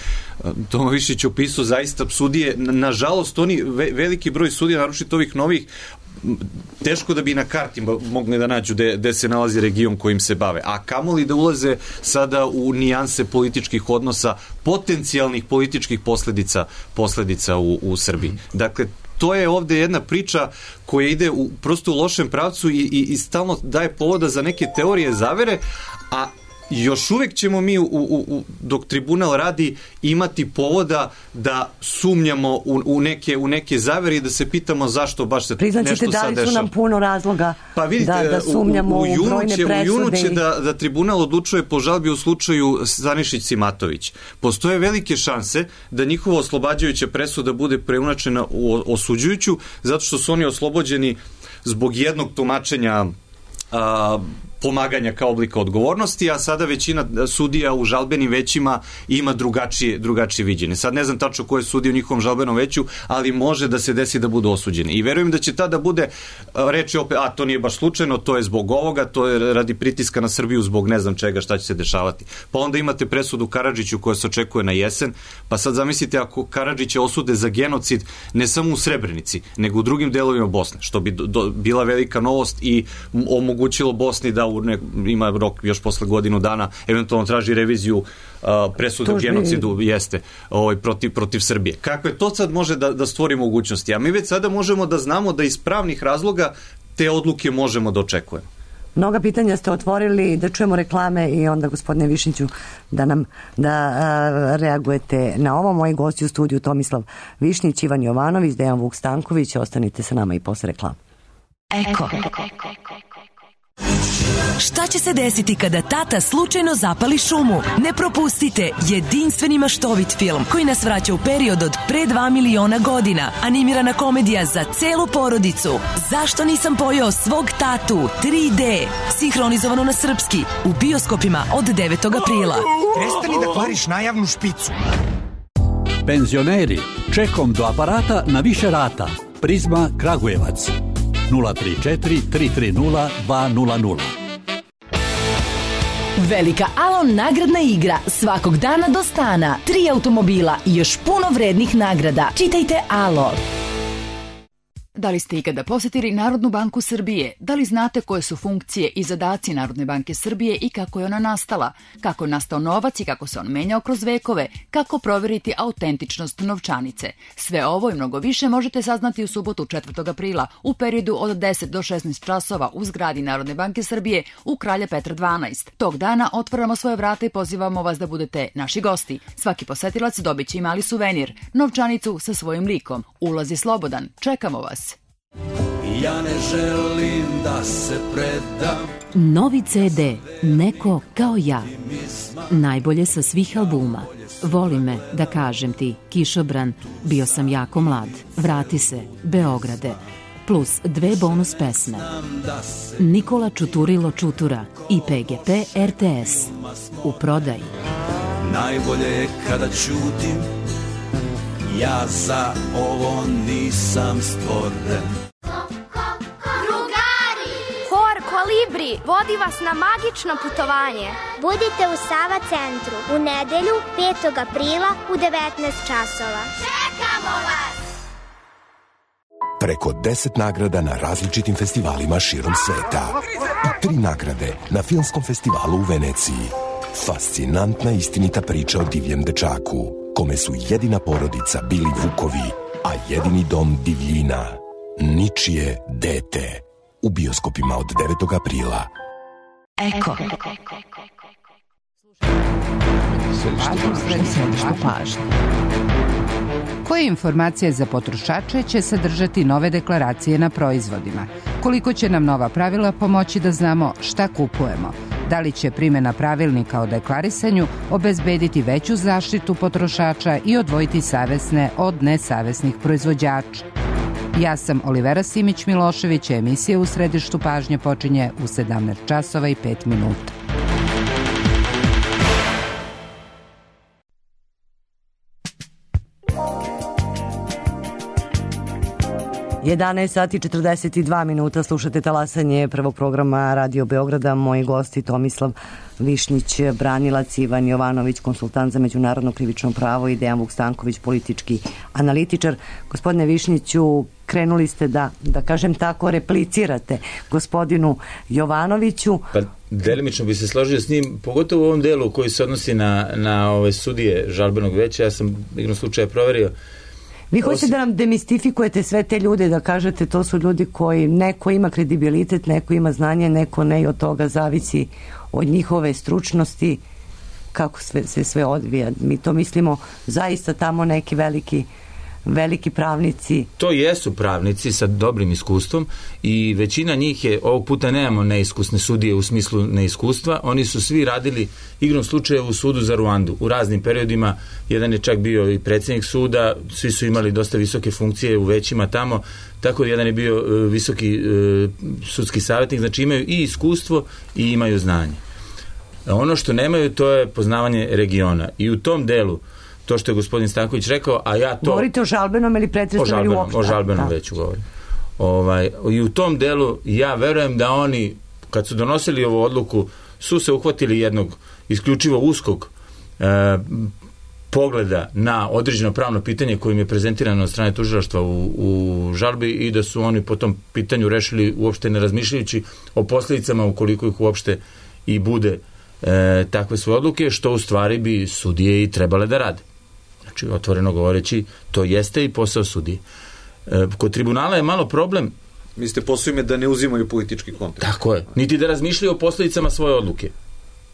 Toma Višić opisao, zaista sudije, nažalost, oni, veliki broj sudija, naročito ovih novih, teško da bi na karti mogli da nađu gde se nalazi region kojim se bave. A kamoli da ulaze sada u nijanse političkih odnosa, potencijalnih političkih posledica, posledica u, u Srbiji. Dakle, to je ovde jedna priča koja ide u, prosto u lošem pravcu i, i, i stalno daje povoda za neke teorije zavere, a još uvek ćemo mi u, u, u, dok tribunal radi imati povoda da sumnjamo u, u, neke, u neke zavere i da se pitamo zašto baš se Priznaćete, nešto sad dešava. Da li su nam puno razloga pa vidite, da, da sumnjamo u, u, u brojne će, presude? U junu će i... da, da tribunal odlučuje po žalbi u slučaju Stanišić-Simatović. Postoje velike šanse da njihova oslobađajuća presuda bude preunačena u osuđujuću, zato što su oni oslobođeni zbog jednog tumačenja a, pomaganja kao oblika odgovornosti, a sada većina sudija u žalbenim većima ima drugačije, drugačije viđenje. Sad ne znam tačno koje sudije u njihovom žalbenom veću, ali može da se desi da budu osuđeni. I verujem da će tada bude reći opet, a to nije baš slučajno, to je zbog ovoga, to je radi pritiska na Srbiju zbog ne znam čega, šta će se dešavati. Pa onda imate presudu Karadžiću koja se očekuje na jesen, pa sad zamislite ako Karadžića osude za genocid ne samo u Srebrenici, nego u drugim delovima Bosne, što bi do, do, bila velika novost i omogućilo Bosni da u ne, ima rok još posle godinu dana, eventualno traži reviziju uh, presude u genocidu, jeste, ovaj, protiv, protiv Srbije. Kakve to sad može da, da stvori mogućnosti? A mi već sada možemo da znamo da iz pravnih razloga te odluke možemo da očekujemo. Mnoga pitanja ste otvorili, da čujemo reklame i onda, gospodine Višniću, da nam da a, reagujete na ovo. Moji gosti u studiju Tomislav Višnić, Ivan Jovanović, Dejan Vuk Stanković. Ostanite sa nama i posle reklama. Eko. Šta će se desiti kada tata slučajno zapali šumu? Ne propustite jedinstveni maštovit film koji nas vraća u period od pre dva miliona godina. Animirana komedija za celu porodicu. Zašto nisam pojeo svog tatu? tri D. Sinhronizovano na srpski. U bioskopima od devetog aprila. Prestani da kvariš najavnu špicu. Penzioneri, čekom do aparata na više rata. Prizma Kragujevac. nula tri četiri tri tri nula dva nula nula. Velika Alon nagradna igra svakog dana do stana. Tri automobila i još puno vrednih nagrada. Čitajte Alo. Da li ste ikada posjetili Narodnu banku Srbije? Da li znate koje su funkcije i zadaci Narodne banke Srbije i kako je ona nastala? Kako je nastao novac i kako se on menjao kroz vekove? Kako provjeriti autentičnost novčanice? Sve ovo i mnogo više možete saznati u subotu četvrtog aprila u periodu od deset do šesnaest časova u zgradi Narodne banke Srbije u Kralja Petra dvanaest. Tog dana otvaramo svoje vrata i pozivamo vas da budete naši gosti. Svaki posetilac dobit će i mali suvenir, novčanicu sa svojim likom. Ulaz je slobodan. Čekamo vas. Ja ne želim da se predam. Novi ce de, Neko kao ja. Najbolje sa svih albuma. Voli me, da kažem ti, Kišobran, Bio sam jako mlad, Vrati se, Beograde, plus dve bonus pesme. Nikola Čuturilo Čutura i pe ge pe er te es. U prodaji. Najbolje je kada ćutim, ja za ovo nisam stvoren. Hor Kolibri vodi vas na magično putovanje. Budite u Sava centru u nedelju petog aprila u devetnaest časova. Čekamo vas! Preko deset nagrada na različitim festivalima širom sveta. I tri nagrade na Filmskom festivalu u Veneciji. Fascinantna istinita priča o divljem dečaku, kome su jedina porodica bili vukovi, a jedini dom divljina. Ničije dete. U bioskopima od devetog aprila. Eko. Središte pažnje. Koje informacije za potrošače će sadržati nove deklaracije na proizvodima? Koliko će nam nova pravila pomoći da znamo šta kupujemo? Da li će primjena pravilnika o deklarisanju obezbediti veću zaštitu potrošača i odvojiti savesne od nesavesnih proizvođača? Ja sam Olivera Simić-Milošević, emisija U središtu pažnje počinje u sedamnaest časova i pet minuta. jedanaest sati četrdeset dva minuta, slušate talasanje prvog programa Radio Beograda. Moji gosti Tomislav Višnjić, branilac, Ivan Jovanović, konsultant za međunarodno krivično pravo i Dejan Vukstanković, politički analitičar. Gospodine Višnjiću, krenuli ste da, da kažem tako, replicirate gospodinu Jovanoviću. Pa delimično bi se složio s njim, pogotovo u ovom delu koji se odnosi na, na ove sudije žalbenog veća. Ja sam igrom slučaja proverio. Vi hoćete da nam demistifikujete sve te ljude, da kažete to su ljudi koji neko ima kredibilitet, neko ima znanje, neko ne, i od toga zavisi od njihove stručnosti kako sve, se sve odvija. Mi to mislimo zaista tamo neki veliki veliki pravnici. To jesu pravnici sa dobrim iskustvom i većina njih je, ovog puta nemamo neiskusne sudije u smislu neiskustva, oni su svi radili igrom slučaja u sudu za Ruandu u raznim periodima. Jedan je čak bio i predsjednik suda, svi su imali dosta visoke funkcije u većima tamo, tako da jedan je bio uh, visoki uh, sudski savjetnik, znači imaju i iskustvo i imaju znanje. Ono što nemaju, to je poznavanje regiona i u tom delu to što je gospodin Stanković rekao, a ja to... Govorite o žalbenom ili pretresom ili uopšte? O žalbenom veću govorim. Ovaj, i u tom delu ja verujem da oni, kad su donosili ovu odluku, su se uhvatili jednog isključivo uskog e, pogleda na određeno pravno pitanje kojim je prezentirano od strane tužilaštva u, u žalbi i da su oni po tom pitanju rešili uopšte ne razmišljajući o posljedicama ukoliko ih uopšte i bude e, takve svoje odluke, što u stvari bi sudije i trebale da rade. Znači, otvoreno govoreći, to jeste i posao sudije. E, kod tribunala je malo problem. Mislite, posao im je da ne uzimaju politički kontekst. Tako je. Niti da razmišljaju o posljedicama svoje odluke.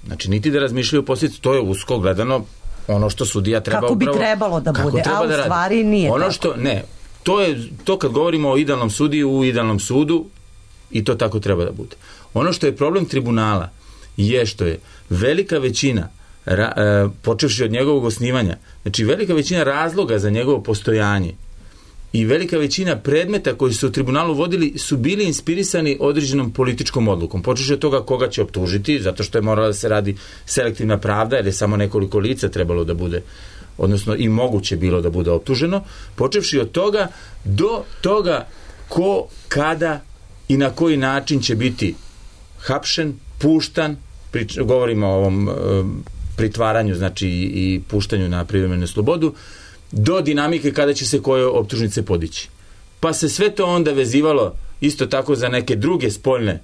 Znači, niti da razmišljaju o posljedicama, to je usko gledano ono što sudija treba kako upravo... Kako bi trebalo da bude, treba a u da stvari nije ono tako. Što, ne, to je, to kad govorimo o idealnom sudiji u idealnom sudu, i to tako treba da bude. Ono što je problem tribunala je što je velika većina, ra, e, počevši od njegovog osnivanja, znači velika većina razloga za njegovo postojanje i velika većina predmeta koji su u tribunalu vodili su bili inspirisani određenom političkom odlukom. Počevši od toga koga će optužiti, zato što je morala da se radi selektivna pravda, jer je samo nekoliko lica trebalo da bude, odnosno i moguće bilo da bude optuženo, počevši od toga do toga ko, kada i na koji način će biti hapšen, puštan, prič, govorimo o ovom e, pritvaranju, znači i, i puštanju na privremenu slobodu, do dinamike kada će se koje optužnice podići. Pa se sve to onda vezivalo isto tako za neke druge spoljne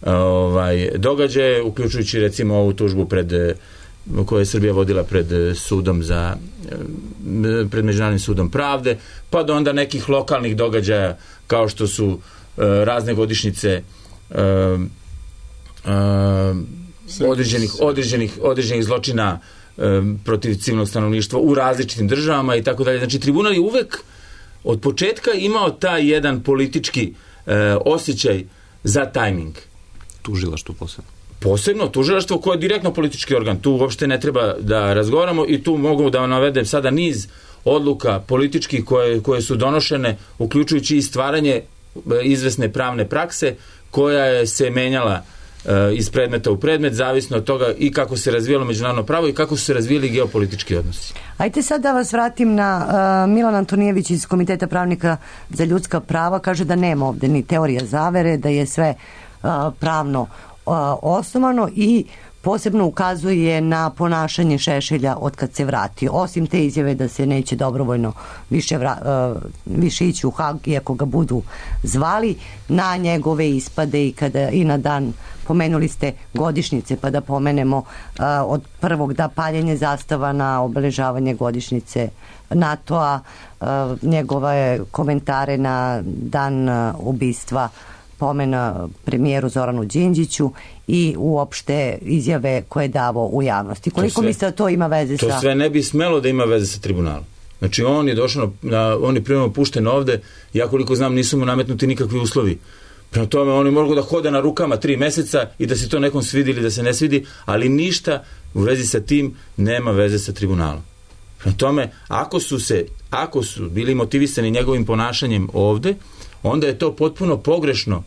ovaj, događaje, uključujući recimo ovu tužbu pred, koju je Srbija vodila pred sudom za pred Međunarodnim sudom pravde, pa do onda nekih lokalnih događaja kao što su uh, razne godišnjice uh, uh, određenih, određenih, određenih zločina protiv civilnog stanovništva u različitim državama i tako dalje. Znači, tribunal je uvek od početka imao taj jedan politički e, osjećaj za tajming. Tužilaštvo posebno. Posebno tužilaštvo koje je direktno politički organ. Tu uopšte ne treba da razgovaramo i tu mogu da navedem sada niz odluka političkih koje, koje su donošene, uključujući i stvaranje izvesne pravne prakse koja je se menjala iz predmeta u predmet, zavisno od toga i kako se razvijalo međunarodno pravo i kako su se razvijali geopolitički odnosi. Ajde sad da vas vratim na uh, Milan Antonijević iz Komiteta pravnika za ljudska prava, kaže da nema ovde ni teorija zavere, da je sve uh, pravno uh, osnovano i posebno ukazuje na ponašanje Šešelja od kad se vrati. Osim te izjave da se neće dobrovoljno više, vra, uh, više ići u Hag, iako ga budu zvali, na njegove ispade i, kada, i na dan, pomenuli ste godišnjice, pa da pomenemo uh, od prvog da paljenje zastava na obeležavanje godišnjice NATO-a, uh, njegove komentare na dan uh, ubistva pomena premijeru Zoranu Đinđiću i uopšte izjave koje je davao u javnosti. Koliko mislite da to ima veze to sa... To sve ne bi smelo da ima veze sa tribunalom. Znači on je došao, na, on je primjerno pušten ovde, ja koliko znam nisu mu nametnuti nikakvi uslovi. Prema tome on je mogao da hoda na rukama tri meseca i da se to nekom svidi ili da se ne svidi, ali ništa u vezi sa tim nema veze sa tribunalom. Prema tome, ako su se, ako su bili motivisani njegovim ponašanjem ovde, onda je to potpuno pogrešno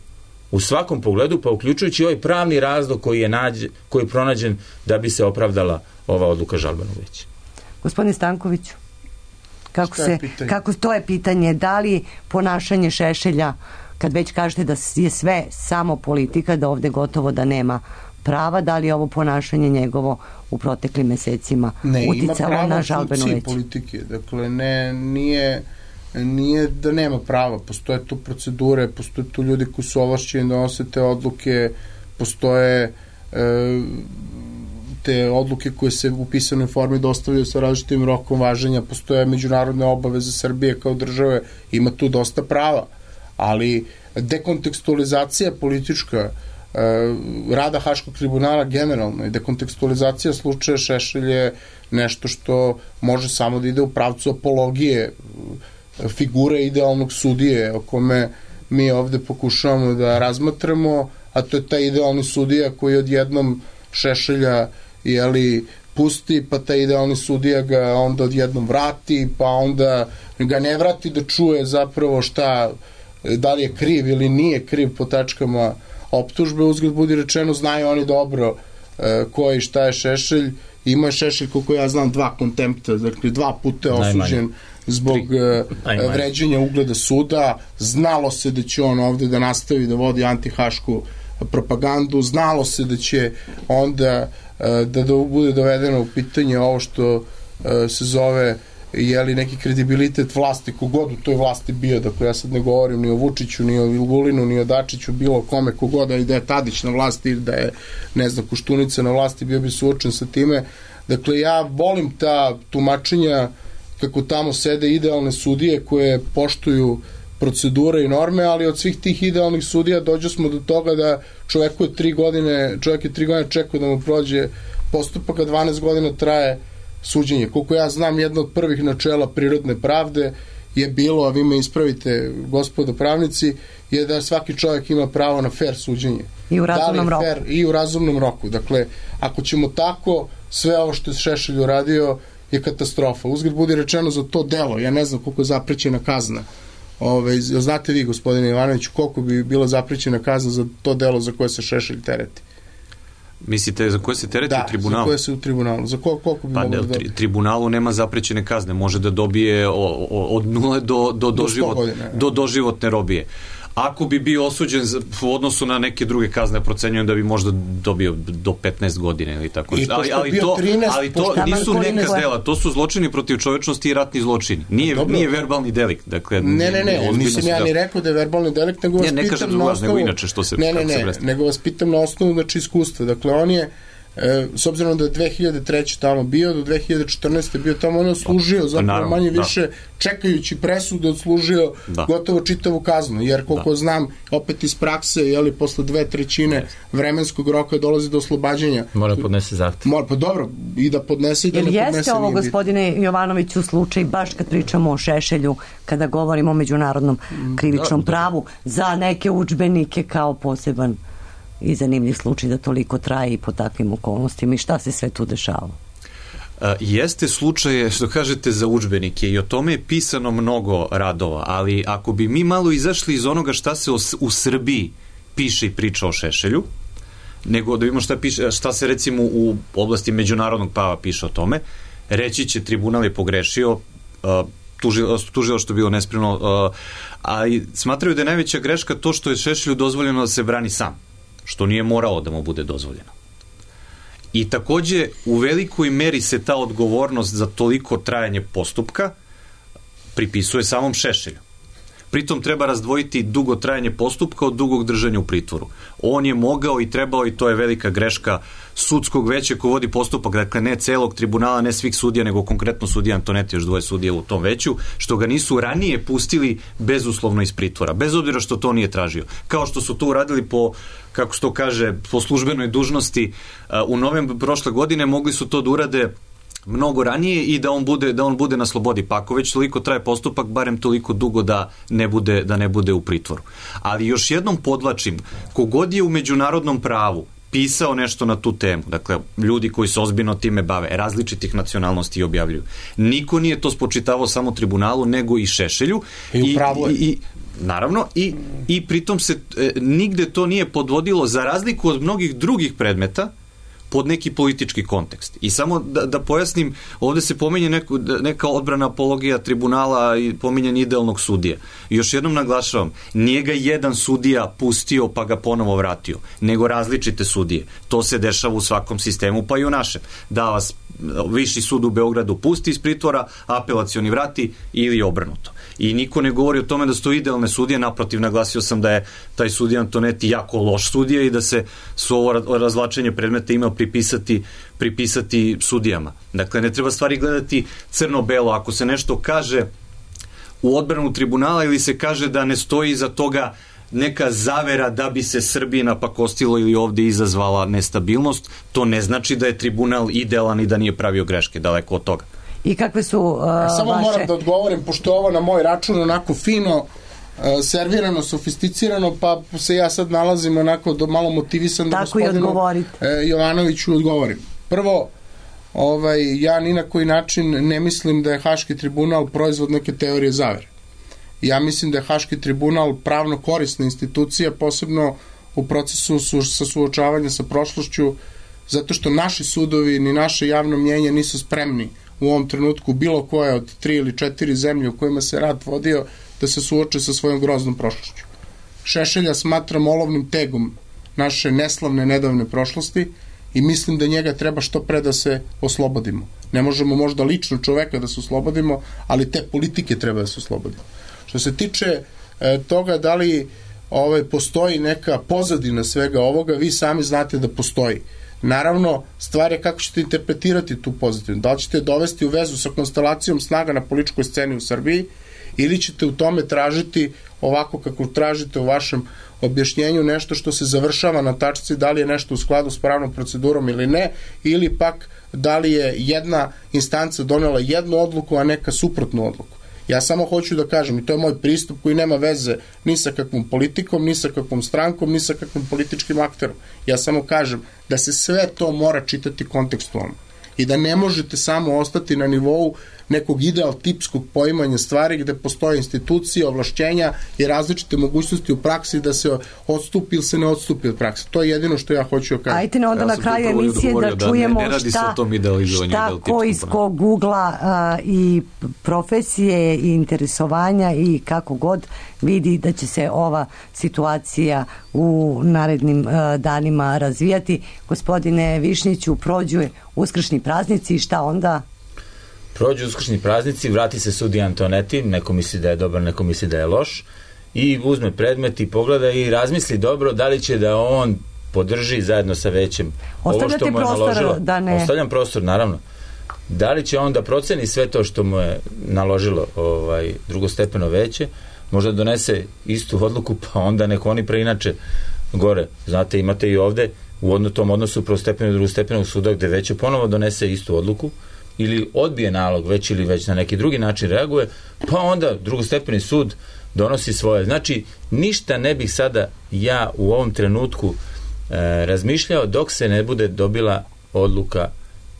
u svakom pogledu, pa uključujući ovaj pravni razlog koji je, nađe, koji je pronađen da bi se opravdala ova odluka žalbenog veća. Gospodine Stankoviću, kako, se, kako to je pitanje, da li ponašanje Šešelja, kad već kažete da je sve samo politika, da ovde gotovo da nema prava, da li je ovo ponašanje njegovo u proteklim mesecima ne, uticalo na žalbeno veće? Ne, ima pravo politike, dakle ne, nije nije da nema prava, postoje tu procedure, postoje tu ljudi koji su ovlašćeni da donose te odluke, postoje e, te odluke koje se u pisanoj formi dostavljaju sa različitim rokom važenja, postoje međunarodne obaveze Srbije kao države, ima tu dosta prava, ali dekontekstualizacija politička e, rada Haškog tribunala generalno i dekontekstualizacija slučaja Šešelj je nešto što može samo da ide u pravcu apologije figure idealnog sudije o kome mi ovde pokušavamo da razmatramo, a to je taj idealni sudija koji odjednom Šešelja jeli, pusti, pa taj idealni sudija ga onda odjednom vrati, pa onda ga ne vrati da čuje zapravo šta, da li je kriv ili nije kriv po tačkama optužbe. Uzgled budi rečeno, znaju oni dobro e, ko je i šta je Šešelj. Ima je Šešelj, koliko ja znam, dva kontempta, dakle dva puta je osuđen zbog uh, vređenja ugleda suda. Znalo se da će on ovde da nastavi da vodi antihašku propagandu, znalo se da će onda uh, da, da bude dovedeno u pitanje ovo što uh, se zove jeli neki kredibilitet vlasti, kogod u toj vlasti bio, dakle ja sad ne govorim ni o Vučiću, ni o Vulinu, ni o Dačiću, bilo kome, kogod, da je Tadić na vlasti ili da je, ne znam, Koštunica na vlasti, bio bi suočen sa time. Dakle, ja volim ta tumačenja kako tamo sede idealne sudije koje poštuju procedure i norme, ali od svih tih idealnih sudija dođe smo do toga da čovjeku je tri godine, čovjek je tri godine čekao da mu prođe postupak, a dvanaest godina traje suđenje. Koliko ja znam, jedno od prvih načela prirodne pravde je bilo, a vi me ispravite, gospodo pravnici, je da svaki čovjek ima pravo na fair suđenje. I u razumnom roku. Fair, I u razumnom roku. Dakle, ako ćemo tako, sve ovo što je Šešelj uradio je katastrofa. Uzgled budi rečeno za to delo, ja ne znam koliko je zaprećena kazna. Ove, znate vi, gospodine Ivanoviću, koliko bi bila zaprećena kazna za to delo za koje se Šešelj tereti? Mislite za koje se tereti da, u tribunalu? Da, za koje se u tribunalu. Za koliko, koliko bi pa mogli ne, da dobije? U tribunalu nema zaprećene kazne. Može da dobije o, o, od nule do, do, do, život, do doživotne robije. Ako bi bio osuđen u odnosu na neke druge kazne, procenjujem da bi možda dobio do petnaest godine ili tako. Ali, ali to, trinaest, ali to nisu neka dela, to su zločini protiv čovečnosti i ratni zločini. Nije, dobro, nije verbalni delikt. Dakle, ne, ne, ne, nisam ja ni rekao da je verbalni delikt, nego vas ne, pitam na osnovu... Nego inače što se... Ne, ne, ne, nego vas pitam na osnovu, znači, iskustva. Dakle, on je E, s obzirom da je dve hiljade treće tamo bio, do dve hiljade četrnaeste bio tamo, on je odslužio zapravo manje više, čekajući presudu, odslužio da. gotovo čitavu kaznu, jer koliko da. znam, opet iz prakse, jeli, posle dve trećine vremenskog roka dolazi do oslobađanja. Mora podnese zahtev. Mora, pa dobro, i da podnese i da ne podnese. Jel jeste ovo, gospodine Jovanoviću, slučaj, baš kad pričamo o Šešelju, kada govorimo o međunarodnom krivičnom da, da. pravu, za neke udžbenike kao poseban i zanimljiv slučaj da toliko traje i po takvim okolnostima i šta se sve tu dešava? A, jeste slučaje, što kažete, za udžbenike i o tome je pisano mnogo radova, ali ako bi mi malo izašli iz onoga šta se o, u Srbiji piše i priča o Šešelju, nego da vidimo šta, piše, šta se recimo u oblasti međunarodnog prava piše o tome, reći će tribunal je pogrešio, a, tužilo, tužilo što je bilo nespremno, a, ali smatraju da je najveća greška to što je Šešelju dozvoljeno da se brani sam, što nije moralo da mu bude dozvoljeno. I takođe u velikoj meri se ta odgovornost za toliko trajanje postupka pripisuje samom Šešelju. Pritom treba razdvojiti dugo trajanje postupka od dugog držanja u pritvoru. On je mogao i trebao, i to je velika greška sudskog veća ko vodi postupak, dakle ne celog tribunala, ne svih sudija, nego konkretno sudija Antoneti, još dvoje sudija u tom veću, što ga nisu ranije pustili bezuslovno iz pritvora, bez obzira što to nije tražio. Kao što su to uradili po, kako se to kaže, po službenoj dužnosti u novembru prošle godine, mogli su to da urade mnogo ranije i da on bude da on bude na slobodi. Pa ako već toliko traje postupak, barem toliko dugo da ne bude da ne bude u pritvoru. Ali još jednom podvlačim, kogod je u međunarodnom pravu pisao nešto na tu temu, dakle ljudi koji se ozbiljno time bave, različitih nacionalnosti i objavljuju. Niko nije to spočitavao samo tribunalu, nego i Šešelju i, i, i, i naravno i, i pritom se e, nigde to nije podvodilo, za razliku od mnogih drugih predmeta, pod neki politički kontekst. I samo da, da pojasnim, ovde se pominje neku, neka odbrana apologija tribunala i pominjen idealnog sudija. I još jednom naglašavam, nije ga jedan sudija pustio pa ga ponovo vratio, nego različite sudije. To se dešava u svakom sistemu, pa i u našem. Da vas Viši sud u Beogradu pusti iz pritvora, apelacioni vrati ili obrnuto. I niko ne govori o tome da su to idealne sudije, naprotiv, naglasio sam da je taj sudija Antoneti jako loš sudija i da se su ovo razvlačenje predmeta imao pripisati, pripisati sudijama. Dakle, ne treba stvari gledati crno-belo. Ako se nešto kaže u odbranu tribunala ili se kaže da ne stoji iza toga neka zavera da bi se Srbiji napakostilo ili ovde izazvala nestabilnost, to ne znači da je tribunal idealan i da nije pravio greške, daleko od toga. I kakve su uh, Samo vaše... moram da odgovorim, pošto ovo na moj račun onako fino, uh, servirano, sofisticirano, pa se ja sad nalazim onako do, malo motivisan da gospodinu uh, Jovanoviću odgovorim. Prvo, ovaj, ja ni na koji način ne mislim da je Haški tribunal proizvod neke teorije zavere. Ja mislim da je Haški tribunal pravno korisna institucija, posebno u procesu su, sa suočavanja sa prošlošću, zato što naši sudovi ni naše javno mnjenje nisu spremni u ovom trenutku bilo koje od tri ili četiri zemlje u kojima se rat vodio da se suoče sa svojom groznom prošlošću. Šešelja smatram olovnim tegom naše neslavne nedavne prošlosti i mislim da njega treba što pre da se oslobodimo. Ne možemo možda lično čoveka da se oslobodimo, ali te politike treba da se oslobodimo. Što se tiče e, toga da li ove, postoji neka pozadina svega ovoga, vi sami znate da postoji. Naravno, stvar je kako ćete interpretirati tu pozadinu. Da li ćete dovesti u vezu sa konstelacijom snaga na političkoj sceni u Srbiji ili ćete u tome tražiti ovako kako tražite u vašem objašnjenju nešto što se završava na tačci da li je nešto u skladu s pravnom procedurom ili ne, ili pak da li je jedna instanca donela jednu odluku, a neka suprotnu odluku. Ja samo hoću da kažem, i to je moj pristup koji nema veze ni sa kakvom politikom, ni sa kakvom strankom, ni sa kakvim političkim akterom. Ja samo kažem da se sve to mora čitati kontekstualno i da ne možete samo ostati na nivou nekog ideal tipskog poimanja stvari gde postoje institucije, ovlašćenja i različite mogućnosti u praksi da se odstupi ili se ne odstupi od prakse. To je jedino što ja hoću da kažem. Ajte ne onda ja na kraju emisije da, da čujemo ne, ne šta, šta ko iz kog Google-a a, i profesije i interesovanja i kako god vidi da će se ova situacija u narednim a, danima razvijati. Gospodine Višnjiću, prođu uskršnji praznici i šta onda? Prođu uskršnji praznici, vrati se sudija Antoneti, neko misli da je dobar, neko misli da je loš, i uzme predmet i pogleda i razmisli dobro da li će da on podrži zajedno sa većem ovo što mu je naložilo. Da ne... Ostavljam prostor, naravno. Da li će on da proceni sve to što mu je naložilo ovaj, drugostepeno veće, možda donese istu odluku, pa onda neko oni preinače gore. Znate, imate i ovde u odno, tom odnosu prvostepenog i drugostepenog suda gde veće ponovo donese istu odluku, ili odbije nalog već ili već na neki drugi način reaguje, pa onda drugostepeni sud donosi svoje. Znači, ništa ne bih sada ja u ovom trenutku e, razmišljao dok se ne bude dobila odluka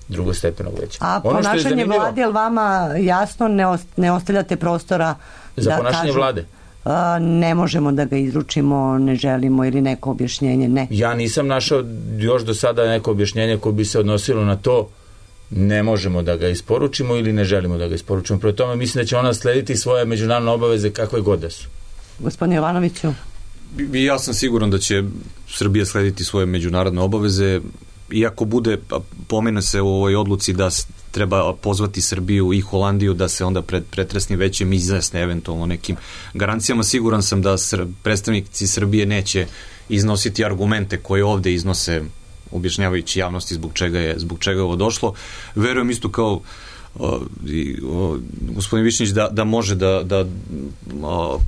drugostepenog veća. A ono ponašanje zanimljivo, vlade, je li vama jasno ne, ost, ne ostavljate prostora za da ponašanje kažu, vlade? A, ne možemo da ga izručimo, ne želimo ili neko objašnjenje, ne. Ja nisam našao još do sada neko objašnjenje koje bi se odnosilo na to ne možemo da ga isporučimo ili ne želimo da ga isporučimo. Prvo tome mislim da će ona slediti svoje međunarodne obaveze kakve god da su. Gospodine Jovanoviću? Ja sam siguran da će Srbija slediti svoje međunarodne obaveze, iako bude, pomene se u ovoj odluci da treba pozvati Srbiju i Holandiju da se onda pred pretresni većem izjasne eventualno nekim garancijama. Siguran sam da predstavnici Srbije neće iznositi argumente koje ovde iznose objašnjavajući javnosti zbog čega je, zbog čega je ovo došlo. Verujem isto kao o, o, gospodin Višnjić da, da može da, da o,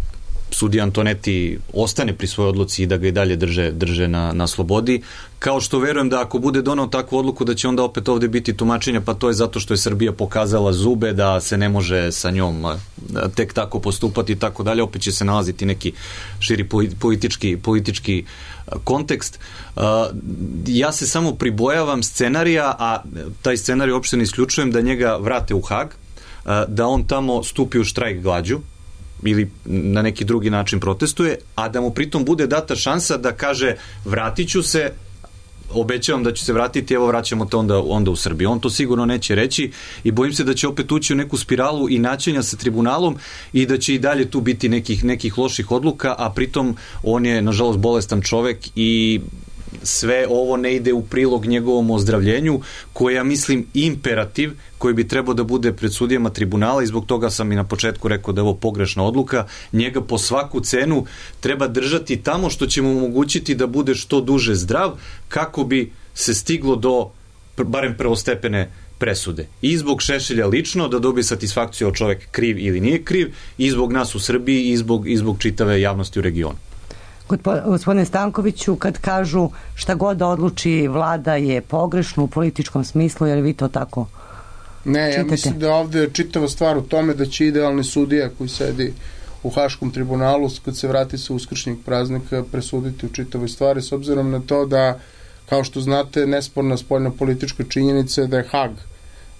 sudija Antoneti ostane pri svojoj odluci i da ga i dalje drže, drže na, na slobodi. Kao što verujem da ako bude donao takvu odluku da će onda opet ovde biti tumačenja, pa to je zato što je Srbija pokazala zube da se ne može sa njom tek tako postupati i tako dalje. Opet će se nalaziti neki širi politički, politički kontekst. Ja se samo pribojavam scenarija, a taj scenarij uopšte ne isključujem, da njega vrate u Hag, da on tamo stupi u štrajk glađu ili na neki drugi način protestuje, a da mu pritom bude data šansa da kaže vratit ću se, obećavam da ću se vratiti, evo vraćamo te onda, onda u Srbiju. On to sigurno neće reći i bojim se da će opet ući u neku spiralu i naćenja sa tribunalom i da će i dalje tu biti nekih, nekih loših odluka, a pritom on je nažalost bolestan čovek i sve ovo ne ide u prilog njegovom ozdravljenju, koji ja mislim imperativ koji bi trebao da bude pred sudijama tribunala, i zbog toga sam i na početku rekao da je ovo pogrešna odluka. Njega po svaku cenu treba držati tamo što će mu omogućiti da bude što duže zdrav, kako bi se stiglo do barem prvostepene presude. I zbog Šešelja lično, da dobije satisfakciju od čovek kriv ili nije kriv, i zbog nas u Srbiji i zbog, i zbog čitave javnosti u regionu. Gospodine Stankoviću, kad kažu šta god da odluči vlada je pogrešno u političkom smislu, jer vi to tako ne, čitate? Ja mislim da ovde je čitava stvar u tome da će idealni sudija koji sedi u Haškom tribunalu, kad se vrati sa uskršnjeg praznika, presuditi u čitavoj stvari, s obzirom na to da, kao što znate, nesporna spoljna politička činjenica je da je Hag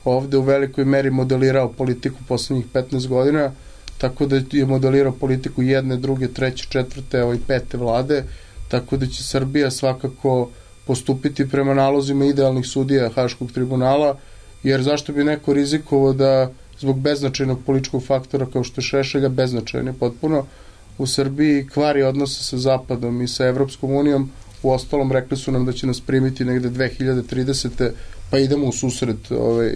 ovde u velikoj meri modelirao politiku poslednjih petnaest godina, tako da je modelirao politiku jedne, druge, treće, četvrte, evo i pete vlade, tako da će Srbija svakako postupiti prema nalozima idealnih sudija Haškog tribunala, jer zašto bi neko rizikovao da zbog beznačajnog političkog faktora kao što je Šešelja, beznačajan je potpuno, u Srbiji kvari odnose sa Zapadom i sa Evropskom unijom. U ostalom rekli su nam da će nas primiti negde dve hiljade tridesete pa idemo u susret ovaj,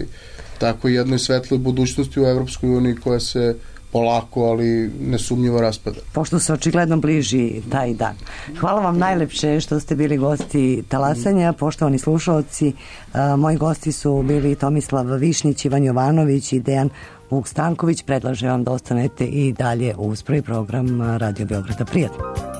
tako jednoj svetloj budućnosti u Evropskoj uniji koja se polako, ali nesumnjivo raspada. Pošto se očigledno bliži taj dan. Hvala vam najlepše što ste bili gosti Talasanja. Poštovani slušalci, moji gosti su bili Tomislav Višnjić, Ivan Jovanović i Dejan Vuk Stanković. Predlažem vam da ostanete i dalje uz prvi program Radio Beograda. Prijatno.